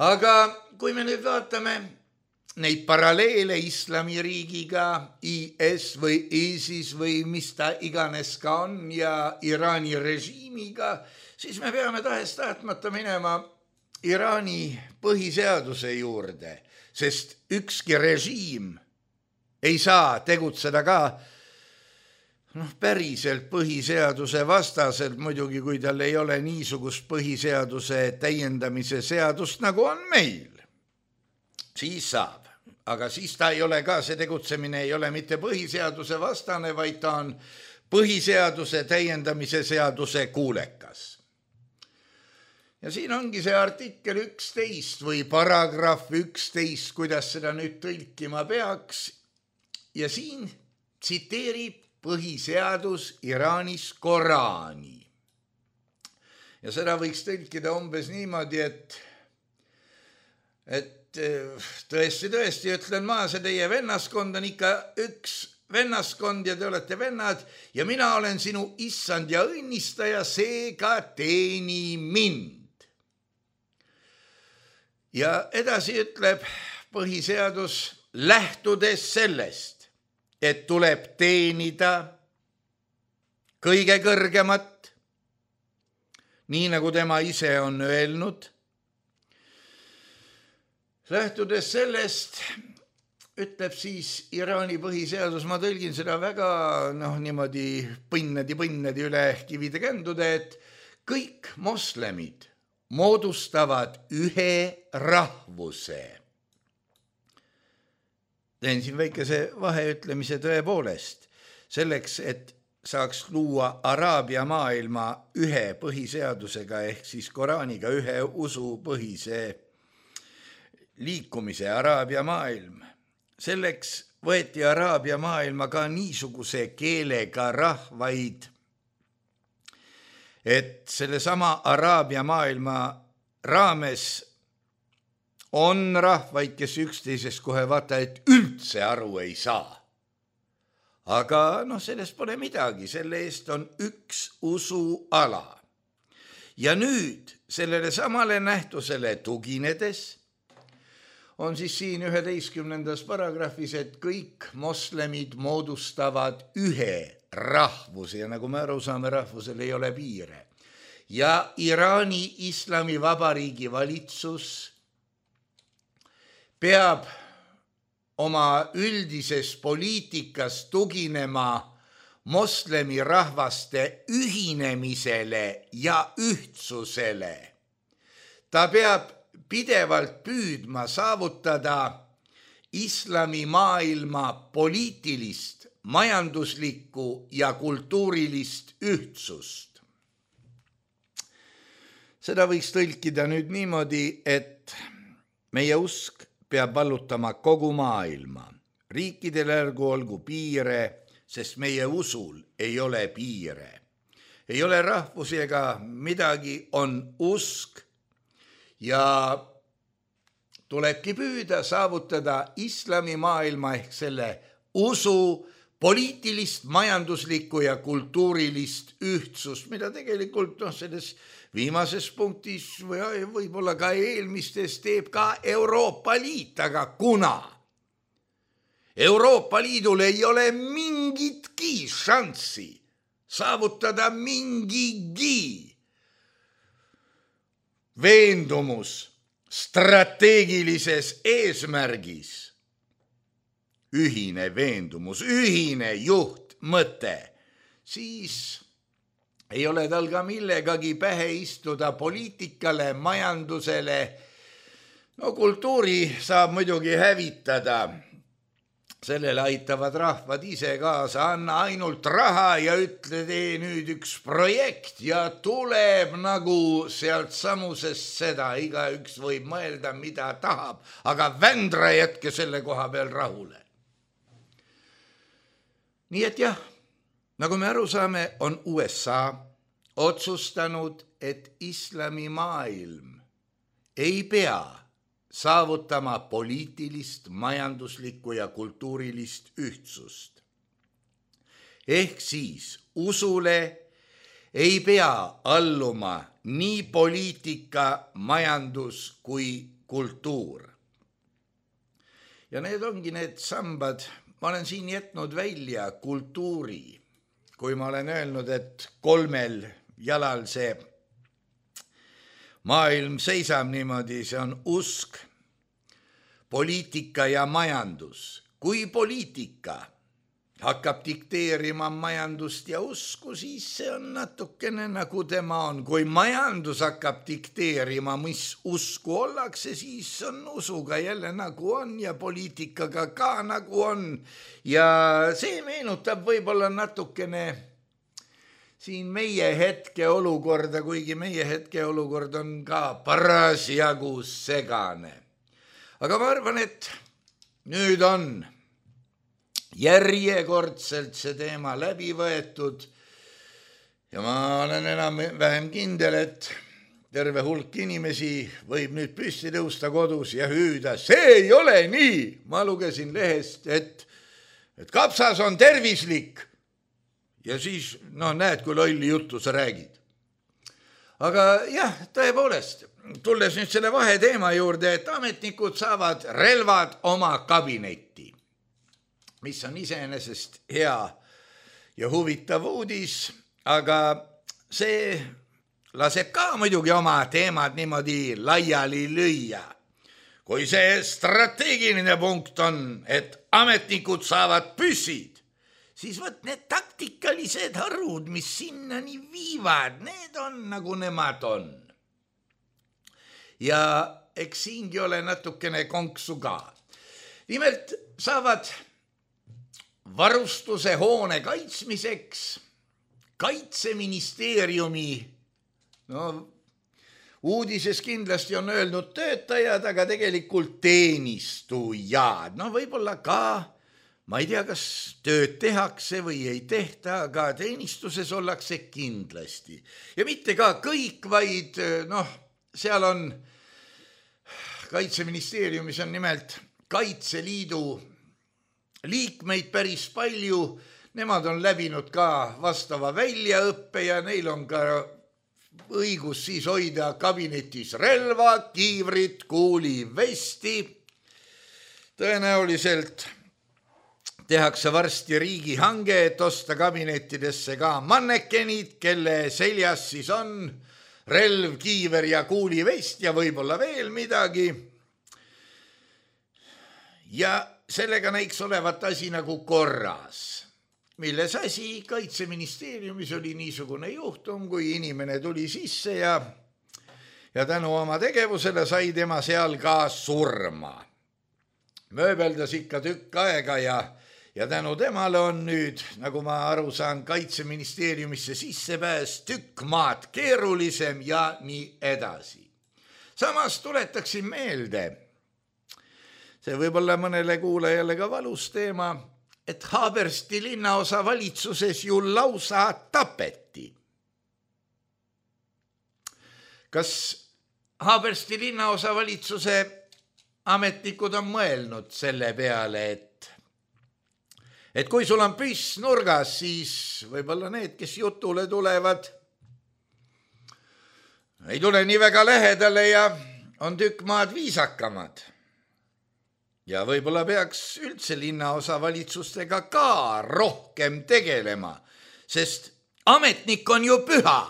Aga kui me nüüd vaatame neid paralleele islamiriigiga, I S või ISIS või mis ta iganes ka on ja Iraani režiimiga, siis me peame tahes tahtmata minema Iraani põhiseaduse juurde, sest ükski režiim ei saa tegutseda ka noh, päriselt põhiseaduse vastaselt, muidugi kui tal ei ole niisugust põhiseaduse täiendamise seadust, nagu on meil. Siis saab, aga siis ta ei ole ka, see tegutsemine ei ole mitte põhiseaduse vastane, vaid ta on põhiseaduse täiendamise seaduse kuulekas. Ja siin ongi see artikkel üksteist või paragrahv üksteist, kuidas seda nüüd tõlkima peaks. Ja siin tsiteerib põhiseadus Iraanis Koraani. Ja seda võiks tõlkida umbes niimoodi, et, et tõesti, tõesti ütlen ma, see teie vennaskond on ikka üks vennaskond ja te olete vennad ja mina olen sinu issand ja õnnistaja, seega teeni mind. Ja edasi ütleb põhiseadus, lähtudes sellest, et tuleb teenida kõige kõrgemat, nii nagu tema ise on öelnud. Lähtudes sellest, ütleb siis Iraani põhiseadus, ma tõlgin seda väga noh, niimoodi põnnedi-põnnedi üle kivide kändude, et kõik moslemid moodustavad ühe rahvuse. Teen siin väikese vaheütlemise tõepoolest, selleks, et saaks luua Araabia maailma ühe põhiseadusega ehk siis Koraaniga ühe usupõhise liikumise Araabia maailm. Selleks võeti Araabia maailma ka niisuguse keelega rahvaid, et selle sama Araabia maailma raames on rahvaid, kes üksteisest kohe vaata, et üldse aru ei saa. Aga noh, sellest pole midagi, selle eest on üks usuala. Ja nüüd sellele samale nähtusele tuginedes on siis siin üheteistkümnendas paragrahvis, et kõik moslemid moodustavad ühe rahvuse ja nagu me aru saame, rahvusel ei ole piire. Ja Iraani Islamivabariigi valitsus peab oma üldises poliitikas tuginema moslemi rahvaste ühinemisele ja ühtsusele. Ta peab pidevalt püüdma saavutada islamimaailma poliitilist, majanduslikku ja kultuurilist ühtsust. Seda võiks tõlkida nüüd niimoodi, et meie usk peab vallutama kogu maailma. Riikidel ärgu olgu piire, sest meie usul ei ole piire. Ei ole rahvusi ega midagi, on usk ja tulebki püüda saavutada islamimaailma ehk selle usu poliitilist, majanduslikku ja kultuurilist ühtsust, mida tegelikult noh, selles viimases punktis või võib-olla ka eelmistes teeb ka Euroopa Liit, aga kuna Euroopa Liidul ei ole mingitki šanssi saavutada mingigi veendumus strateegilises eesmärgis, ühine veendumus, ühine juhtmõte, siis ei ole tal ka millegagi pähe istuda poliitikale, majandusele. No kultuuri saab muidugi hävitada, sellele aitavad rahvad ise kaasa, anna ainult raha ja ütle, tee nüüd üks projekt ja tuleb nagu sealt samusest seda, igaüks võib mõelda, mida tahab, aga vändra jätke selle koha peal rahule. Nii et jah, nagu me aru saame, on U S A otsustanud, et islamimaailm ei pea saavutama poliitilist, majanduslikku ja kultuurilist ühtsust. Ehk siis usule ei pea alluma nii poliitika, majandus kui kultuur. Ja need ongi need sambad, ma olen siin jätnud välja kultuuri, kui ma olen öelnud, et kolmel jalal see maailm seisab niimoodi, see on usk, poliitika ja majandus. Kui poliitika hakkab dikteerima majandust ja usku, siis see on natukene nagu tema on. Kui majandus hakkab dikteerima, mis usku ollakse, siis on usuga jälle nagu on ja poliitikaga ka nagu on. Ja see meenutab võib-olla natukene siin meie hetke olukorda, kuigi meie hetke olukord on ka parasjagu segane. Aga ma arvan, et nüüd on järjekordselt see teema läbi võetud ja ma olen enam vähem kindel, et terve hulk inimesi võib nüüd püsti tõusta kodus ja hüüda, see ei ole nii. Ma lugesin lehest, et, et kapsas on tervislik. Ja siis, no näed, kui lolli juttu sa räägid. Aga jah, tõepoolest, tulles nüüd selle vaheteema juurde, et ametnikud saavad relvad oma kabinetti, mis on iseenesest hea ja huvitav uudis, aga see laseb ka muidugi oma teemad niimoodi laiali lüüa. Kui see strateegiline punkt on, et ametnikud saavad püssid, siis võt need taktikalised harud, mis sinnani viivad, need on nagu nemad on. Ja eks siingi ole natukene konksu ka. Nimelt saavad varustuse hoone kaitsmiseks Kaitseministeeriumi, no uudises kindlasti on öelnud töötajad, aga tegelikult teenistujad, no võib-olla ka, ma ei tea, kas tööd tehakse või ei tehta, aga teenistuses ollakse kindlasti. Ja mitte ka kõik, vaid noh, seal on Kaitseministeeriumis on nimelt Kaitseliidu liikmeid päris palju. Nemad on läbinud ka vastava väljaõppe ja neil on ka õigus siis hoida kabinetis relva, kiivrit, kuulivesti. Tõenäoliselt tehakse varsti riigihange, et osta kabinettidesse ka mannekenid, kelle seljas siis on relv, kiiver ja kuulivest ja võib-olla veel midagi. Ja sellega näiks olevat asi nagu korras, milles asi Kaitseministeeriumis oli niisugune juhtum, kui inimene tuli sisse ja, ja tänu oma tegevusele sai tema seal ka surma. Mööbeldas ikka tükk aega ja Ja tänu temale on nüüd, nagu ma aru saan, Kaitseministeeriumisse sissepääs tükk maad keerulisem ja nii edasi. Samas tuletaksin meelde, see võib olla mõnele kuulajale ka valus teema, et Haabersti linnaosa valitsuses ju lausa tapeti. Kas Haabersti linnaosa valitsuse ametnikud on mõelnud selle peale, et et kui sul on püss nurgas, siis võib-olla need, kes jutule tulevad, ei tule nii väga lähedale ja on tükk maad viisakamad. Ja võib-olla peaks üldse linnaosa valitsustega ka rohkem tegelema, sest ametnik on ju püha,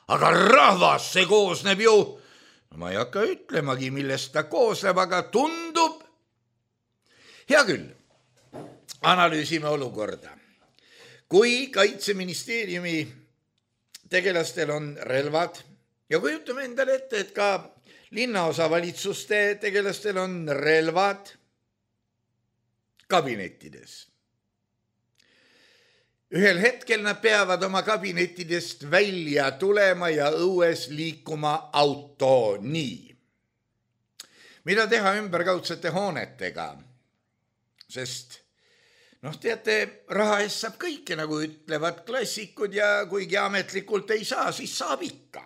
aga rahvas see koosneb ju, no ma ei hakka ütlemagi, millest ta koosneb, aga tundub. Hea küll. Analüüsime olukorda. Kui Kaitseministeeriumi tegelastel on relvad ja kujutame endale ette, et ka linnaosa valitsuste tegelastel on relvad, kabinettides. Ühel hetkel nad peavad oma kabinettidest välja tulema ja õues liikuma auto nii. Mida teha ümberkaudsete hoonetega? Sest, noh, teate, raha eest saab kõike, nagu ütlevad klassikud ja kuigi ametlikult ei saa, siis saab ikka.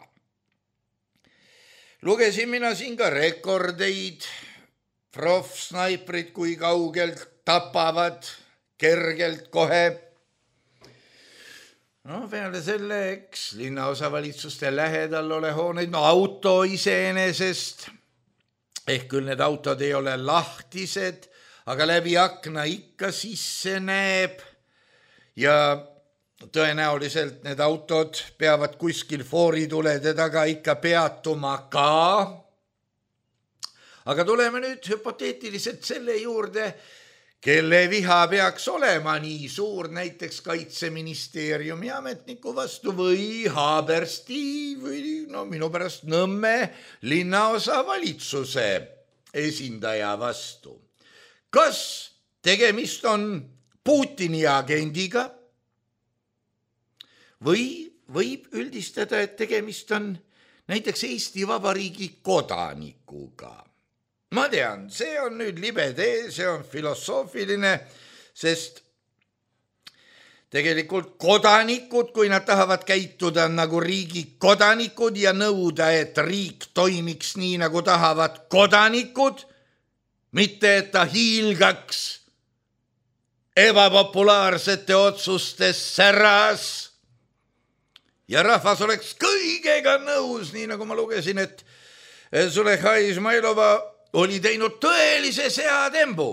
Lugesin mina siin ka rekordeid, proffsnaiprid kui kaugelt tapavad, kergelt kohe. No peale selle, eks, linnaosavalitsuste lähedal ole hooneid, no auto iseenesest, ehk küll need autod ei ole lahtised, aga läbi akna ikka sisse näeb ja tõenäoliselt need autod peavad kuskil fooritulede taga ikka peatuma ka. Aga tuleme nüüd hüpoteetiliselt selle juurde, kelle viha peaks olema nii suur näiteks Kaitseministeeriumi ametniku vastu või Haabersti või no minu pärast Nõmme linnaosa valitsuse esindaja vastu. Kas tegemist on Putini agendiga või võib üldistada, et tegemist on näiteks Eesti Vabariigi kodanikuga? Ma tean, see on nüüd libe tee, see on filosoofiline, sest tegelikult kodanikud, kui nad tahavad käituda nagu riigi kodanikud ja nõuda, et riik toimiks nii, nagu tahavad kodanikud, mitte et ta hiilgaks ebapopulaarsete otsuste säras ja rahvas oleks kõigega nõus, nii nagu ma lugesin, et Züleyxa Izmailova oli teinud tõelise seatembu.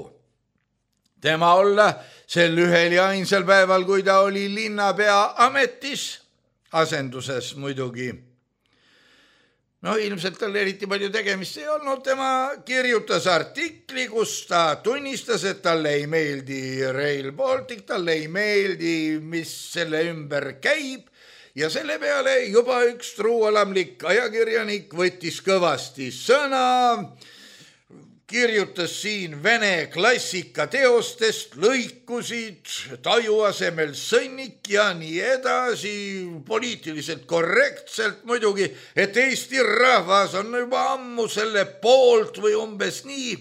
Tema olla sel ühel ja ainsal päeval, kui ta oli linnapea ametis, asenduses muidugi. No ilmselt tal eriti palju tegemist ei olnud, tema kirjutas artikli, kus ta tunnistas, et talle ei meeldi Rail Baltic, talle ei meeldi, mis selle ümber käib, ja selle peale juba üks truualamlik ajakirjanik võttis kõvasti sõna, kirjutas siin vene klassika teostest, lõikusid, taju asemel sõnnik ja nii edasi, poliitiliselt korrektselt muidugi, et Eesti rahvas on juba ammu selle poolt või umbes nii.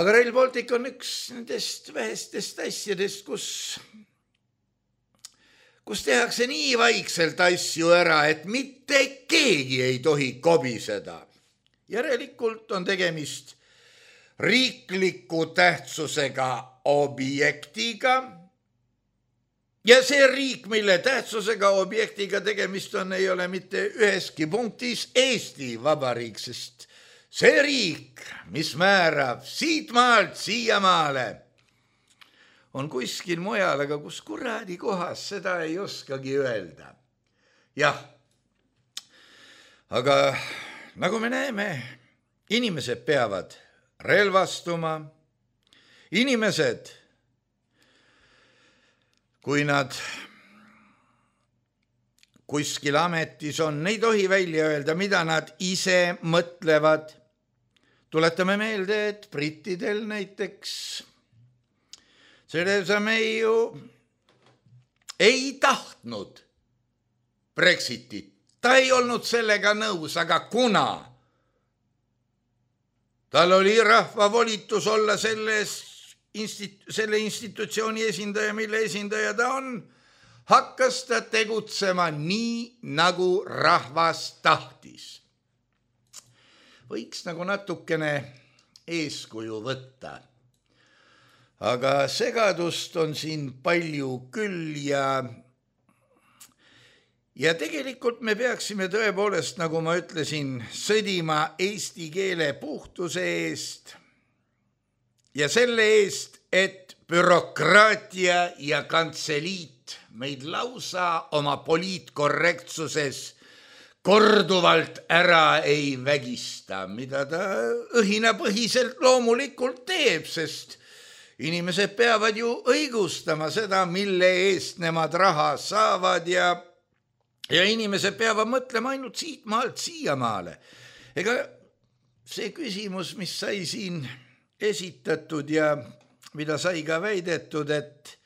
Aga Rail Baltic on üks nendest vähestest asjadest, kus, kus tehakse nii vaikselt asju ära, et mitte keegi ei tohi kobiseda. Järelikult on tegemist riikliku tähtsusega objektiga ja see riik, mille tähtsusega objektiga tegemist on, ei ole mitte üheski punktis Eesti Vabariik, sest see riik, mis määrab siit maalt siiamaale, on kuskil mujal, aga kus kuradi kohas, seda ei oskagi öelda. Jah, aga nagu me näeme, inimesed peavad relvastuma, inimesed, kui nad kuskil ametis on, ei tohi välja öelda, mida nad ise mõtlevad. Tuletame meelde, et brittidel näiteks Theresa May ju ei tahtnud Brexitit. Ta ei olnud sellega nõus, aga kuna tal oli rahva volitus olla selles instit- selle institutsiooni esindaja, mille esindaja ta on, hakkas ta tegutsema nii, nagu rahvas tahtis. Võiks nagu natukene eeskuju võtta. Aga segadust on siin palju küll ja Ja tegelikult me peaksime tõepoolest, nagu ma ütlesin, sõdima eesti keele puhtuse eest ja selle eest, et bürokraatia ja kantseliit meid lausa oma poliitkorrektsuses korduvalt ära ei vägista, mida ta õhinapõhiselt loomulikult teeb, sest inimesed peavad ju õigustama seda, mille eest nemad raha saavad ja Ja inimesed peavad mõtlema ainult siit maalt siiamaale. Ega see küsimus, mis sai siin esitatud ja mida sai ka väidetud, et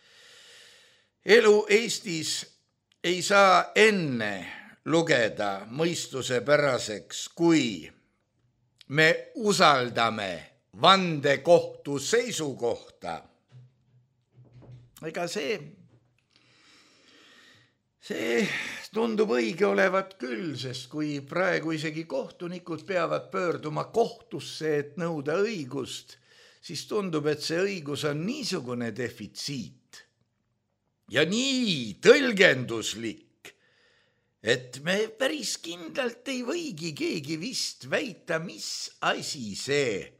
elu Eestis ei saa enne lugeda mõistusepäraseks, kui me usaldame vandekohtu seisukohta. Ega see, see tundub õige olevat küll, sest kui praegu isegi kohtunikud peavad pöörduma kohtusse, et nõuda õigust, siis tundub, et see õigus on niisugune defitsiit ja nii tõlgenduslik, et me päris kindlalt ei võigi keegi vist väita, mis asi see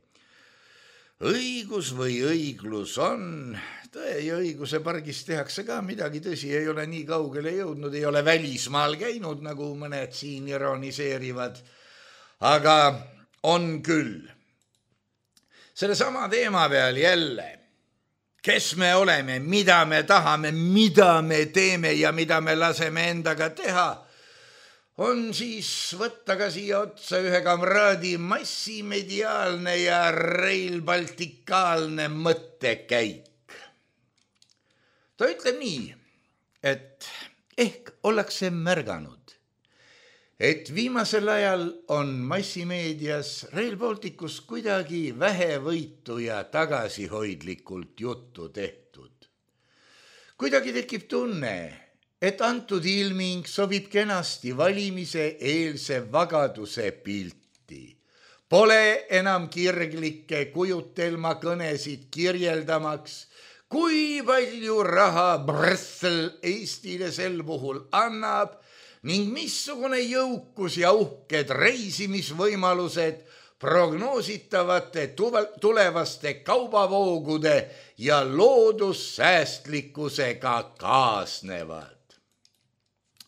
õigus või õiglus on. Tõe ja õiguse pargis tehakse ka midagi, tõsi, ei ole nii kaugele jõudnud, ei ole välismaal käinud, nagu mõned siin ironiseerivad, aga on küll. Selle sama teema peal jälle, kes me oleme, mida me tahame, mida me teeme ja mida me laseme endaga teha, on siis võtta ka siia otsa ühe kamraadi massimediaalne ja Rail Balticaalne mõttekäik. Ta ütleb nii, et ehk ollakse märganud, et viimasel ajal on massimeedias Rail Balticus kuidagi vähevõitu ja tagasihoidlikult juttu tehtud. Kuidagi tekib tunne, et antud ilming sobib kenasti valimise eelse vagaduse pilti. Pole enam kirglikke kujutelma kõnesid kirjeldamaks, kui palju raha Brüssel Eestile sel puhul annab ning missugune jõukus ja uhked reisimisvõimalused prognoositavate tulevaste kaubavoogude ja loodussäästlikkusega kaasnevad.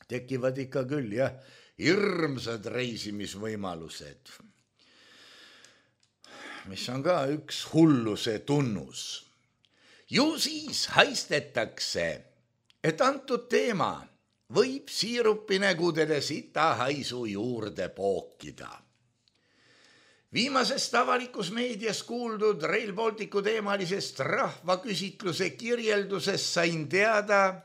Tekivad ikka küll, jah, hirmsad reisimisvõimalused, mis on ka üks hulluse tunnus. Ju siis haistetakse, et antud teema võib siirupinägudele sita haisu juurde pookida. Viimasest avalikus meedias kuuldud Rail Balticu teemalisest rahvaküsitluse kirjeldusest sain teada,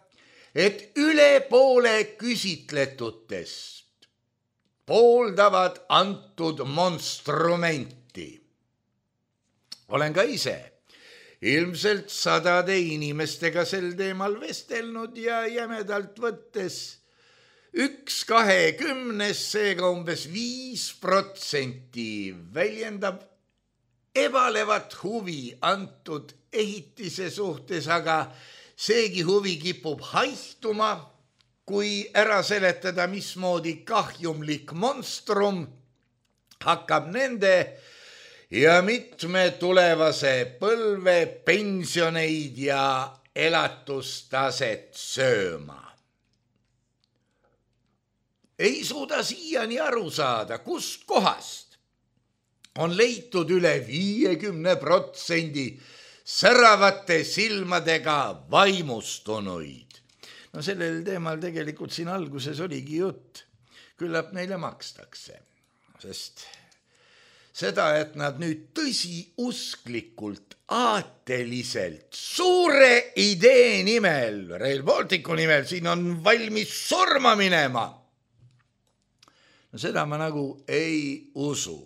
et üle poole küsitletutest pooldavad antud monstrumenti. Olen ka ise ilmselt sadade inimestega sel teemal vestelnud ja jämedalt võttes üks kahekümnes, seega umbes viis protsenti väljendab ebalevat huvi antud ehitise suhtes, aga seegi huvi kipub haihtuma, kui ära seletada, mismoodi kahjumlik monstrum hakkab nende ja mitme tulevase põlve pensioneid ja elatustaset sööma. Ei suuda siiani aru saada, kust kohast on leitud üle viiekümne protsendi säravate silmadega vaimustunuid. No sellel teemal tegelikult siin alguses oligi jutt. Küllap neile makstakse, sest seda, et nad nüüd tõsiusklikult, aateliselt, suure idee nimel, Rail Balticu nimel, siin on valmis surma minema. No seda ma nagu ei usu.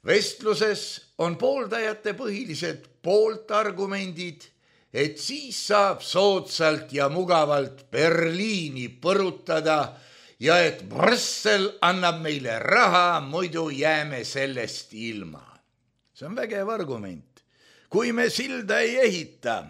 Vestluses on pooldajate põhilised pooltargumendid, et siis saab soodsalt ja mugavalt Berliini põrutada ja et Brüssel annab meile raha, muidu jääme sellest ilma. See on vägev argument. Kui me silda ei ehita,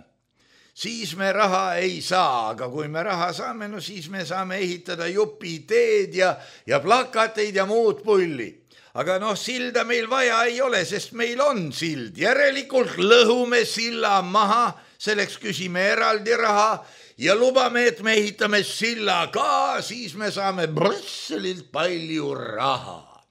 siis me raha ei saa, aga kui me raha saame, no siis me saame ehitada jupiteed ja, ja plakateid ja muud pulli. Aga noh, silda meil vaja ei ole, sest meil on sild. Järelikult lõhume silla maha, selleks küsime eraldi raha ja lubame, et me ehitame silla ka, siis me saame Brüsselilt palju raha.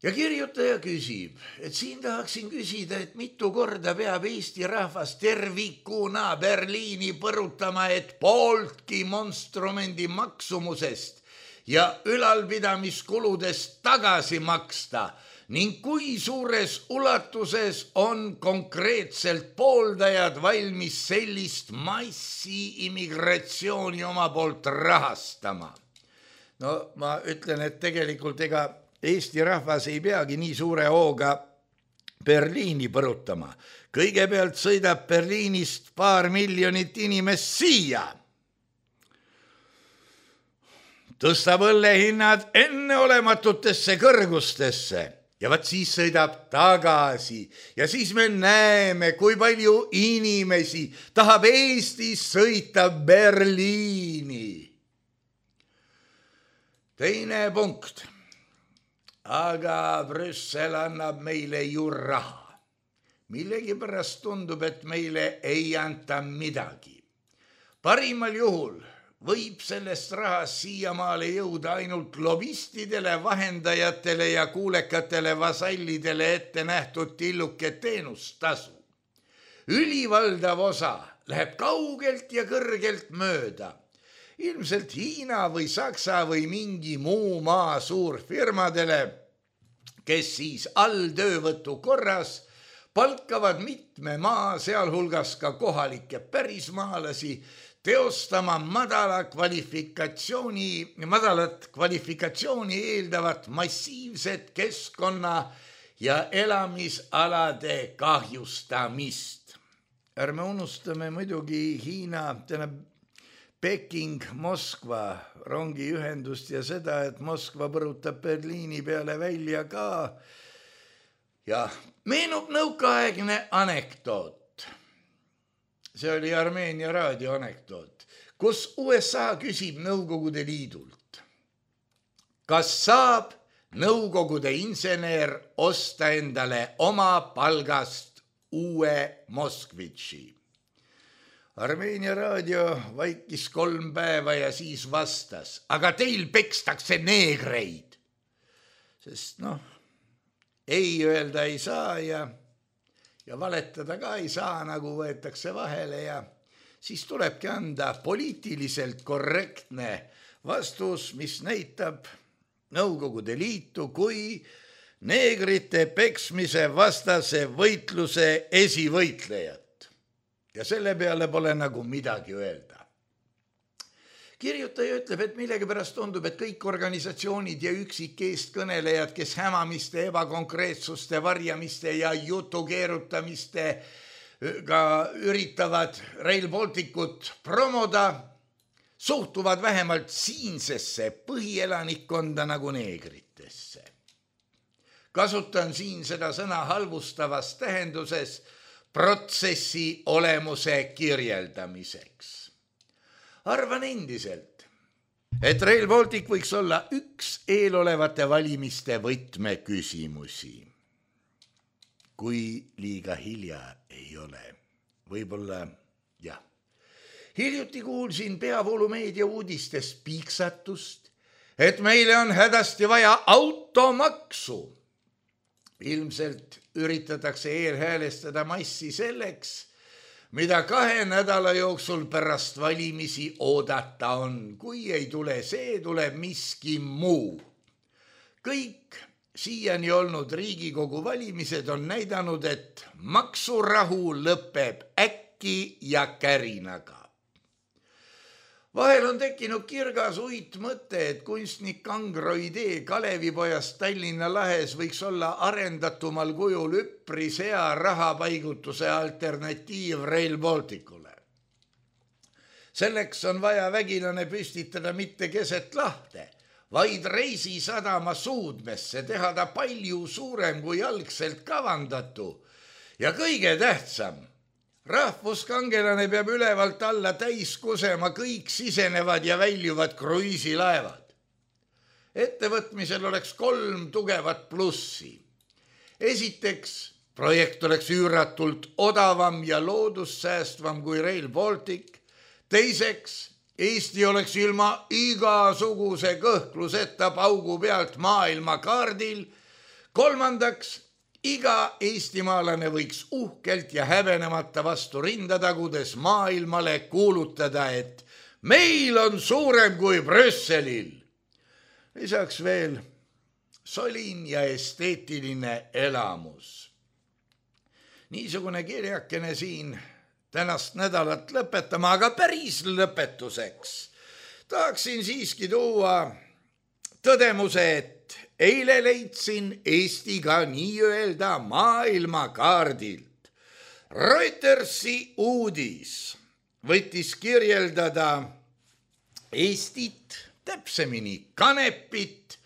Ja kirjutaja küsib, et siin tahaksin küsida, et mitu korda peab Eesti rahvas tervikuna Berliini põrutama, et pooltki monstrumendi maksumusest ja ülalpidamiskuludest tagasi maksta, ning kui suures ulatuses on konkreetselt pooldajad valmis sellist massi immigratsiooni oma poolt rahastama. No ma ütlen, et tegelikult ega Eesti rahvas ei peagi nii suure hooga Berliini põrutama. Kõigepealt sõidab Berliinist paar miljonit inimest siia. Tõstab õllehinnad enneolematutesse kõrgustesse ja vaat siis sõidab tagasi ja siis me näeme, kui palju inimesi tahab Eestis sõita Berliini. Teine punkt. Aga Brüssel annab meile ju raha. Millegi pärast tundub, et meile ei anta midagi. Parimal juhul võib sellest rahast siiamaale jõuda ainult lobistidele, vahendajatele ja kuulekatele vasallidele ette nähtud tilluke teenustasu. Ülivaldav osa läheb kaugelt ja kõrgelt mööda. Ilmselt Hiina või Saksa või mingi muu maa suurfirmadele, kes siis alltöövõtu korras palkavad mitme maa, sealhulgas ka kohalikke pärismaalasi, teostama madala kvalifikatsiooni, madalat kvalifikatsiooni eeldavat massiivset keskkonna ja elamisalade kahjustamist. Ärme unustame muidugi Hiina, tähendab Peking, Moskva rongiühendust ja seda, et Moskva põrutab Berliini peale välja ka. Ja meenub nõukaaegne anekdoot. See oli Armeenia raadio anekdoot, kus U S A küsib Nõukogude Liidult. Kas saab Nõukogude insener osta endale oma palgast uue Moskvitši? Armeenia raadio vaikis kolm päeva ja siis vastas, aga teil pekstakse neegreid. Sest noh, ei öelda ei saa ja, ja valetada ka ei saa, nagu võetakse vahele ja siis tulebki anda poliitiliselt korrektne vastus, mis näitab Nõukogude Liitu kui neegrite peksmise vastase võitluse esivõitlejat. Ja selle peale pole nagu midagi öelda. Kirjutaja ütleb, et millegi pärast tundub, et kõik organisatsioonid ja üksik eestkõnelejad, kes hämamiste, ebakonkreetsuste, varjamiste ja jutu keerutamiste ka üritavad Rail Balticut promoda, suhtuvad vähemalt siinsesse põhielanikkonda nagu neegritesse. Kasutan siin seda sõna halvustavas tähenduses protsessi olemuse kirjeldamiseks. Arvan endiselt, et Rail Baltic võiks olla üks eelolevate valimiste võtmeküsimusi. Kui liiga hilja ei ole, võib-olla jah. Hiljuti kuulsin peavoolumeedia uudistest piiksatust, et meile on hädasti vaja automaksu. Ilmselt üritatakse eelhäälestada massi selleks, mida kahe nädala jooksul pärast valimisi oodata on. Kui ei tule see, tuleb miski muu. Kõik siiani olnud Riigikogu valimised on näidanud, et maksurahu lõpeb äkki ja kärinaga. Vahel on tekkinud kirgas uit mõte, et kunstnik Kangro idee Kalevipojast Tallinna lahes võiks olla arendatumal kujul üpris hea rahapaigutuse alternatiiv Rail Balticule. Selleks on vaja vägilane püstitada mitte keset lahte, vaid reisisadama suudmesse, teha ta palju suurem kui algselt kavandatu ja kõige tähtsam, rahvuskangelane peab ülevalt alla täis kusema kõik sisenevad ja väljuvad kruiisilaevad. Ettevõtmisel oleks kolm tugevat plussi. Esiteks, projekt oleks üüratult odavam ja loodussäästvam kui Rail Baltic. Teiseks, Eesti oleks ilma igasuguse kõhkluseta paugu pealt maailmakaardil. Kolmandaks, iga eestimaalane võiks uhkelt ja häbenemata vastu rinda tagudes maailmale kuulutada, et meil on suurem kui Brüsselil. Lisaks veel solin ja esteetiline elamus. Niisugune kirjakene siin tänast nädalat lõpetama, aga päris lõpetuseks tahaksin siiski tuua tõdemuse, et eile leidsin Eestiga nii-öelda maailmakaardilt. Reutersi uudis võttis kirjeldada Eestit, täpsemini Kanepit,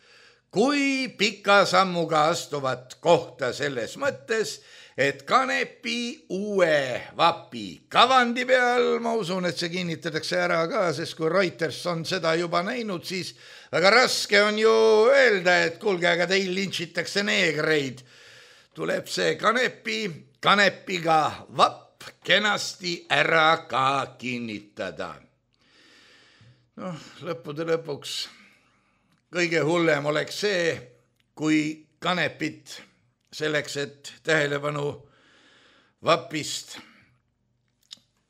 kui pika sammuga astuvat kohta selles mõttes, et Kanepi uue vapi kavandi peal, ma usun, et see kinnitatakse ära ka, sest kui Reuters on seda juba näinud, siis väga raske on ju öelda, et kuulge, aga teil lintšitakse neegreid. Tuleb see Kanepi, Kanepiga vapp kenasti ära ka kinnitada. Noh, lõppude lõpuks kõige hullem oleks see, kui Kanepit selleks, et tähelepanu vapist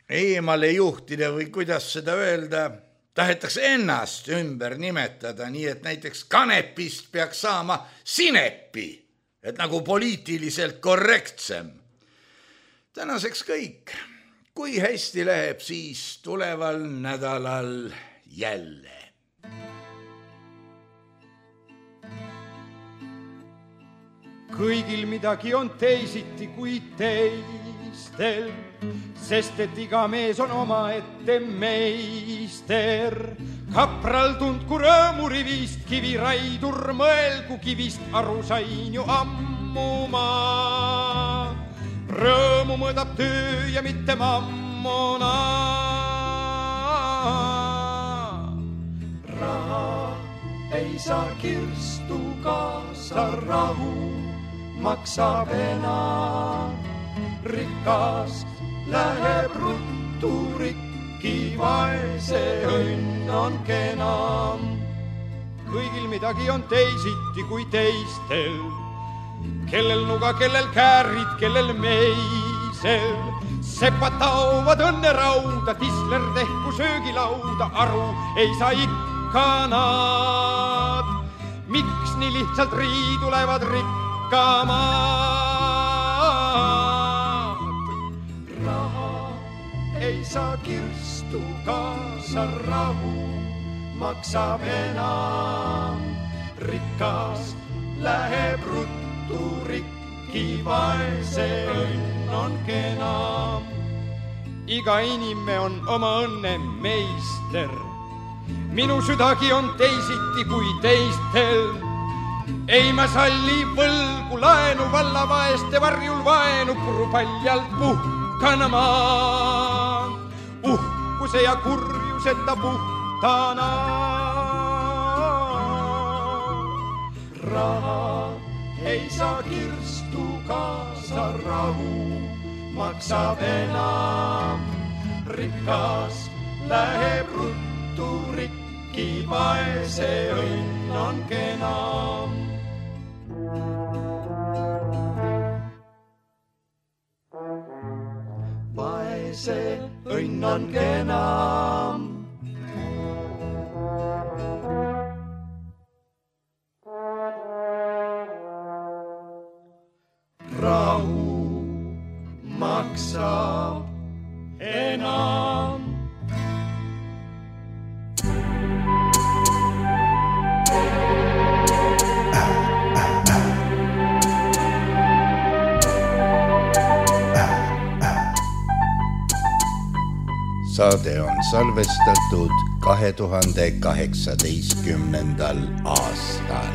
eemale juhtida või kuidas seda öelda, tahetakse ennast ümber nimetada, nii et näiteks Kanepist peaks saama Sinepi, et nagu poliitiliselt korrektsem. Tänaseks kõik. Kui hästi läheb, siis tuleval nädalal jälle. Kõigil midagi on teisiti kui teistel, sest et iga mees on oma ette meister. Kapral tundku rõõmurivist, kiviraidur mõelgu kivist, aru sain ju ammuma. Rõõmu mõõdab töö ja mitte mammona. Raha ei saa kirstu kaasa rahu, maksab enam. Rikas läheb ruttu rikki, vaese õnn on kenam. Kõigil midagi on teisiti kui teistel, kellel nuga, kellel käärid, kellel meisel. Sepad taovad õnne rauda, tisler tehku söögilauda, aru ei saa ikka nad. Miks nii lihtsalt riidu lähevad rikki? Raha ei saa kirstu kaasa rahu, maksab enam. Rikas läheb ruttu rikki, vaese õnn on kenam. Iga inime on oma õnne meister, minu südagi on teisiti kui teistel. Ei ma salli võlgu laenu, valla vaeste varjul vaenu, puru paljalt puhkana maan. Uhkuse ja kurjuseta puhtana. Raha ei saa kirstu kaasa rahu, maksab enam. Rikas läheb ruttu rikki, vaese õnn on kenam. Vaese õnn on kenam. Rahu maksab enam. Saade on salvestatud kahe tuhande kaheksateistkümnendal aastal.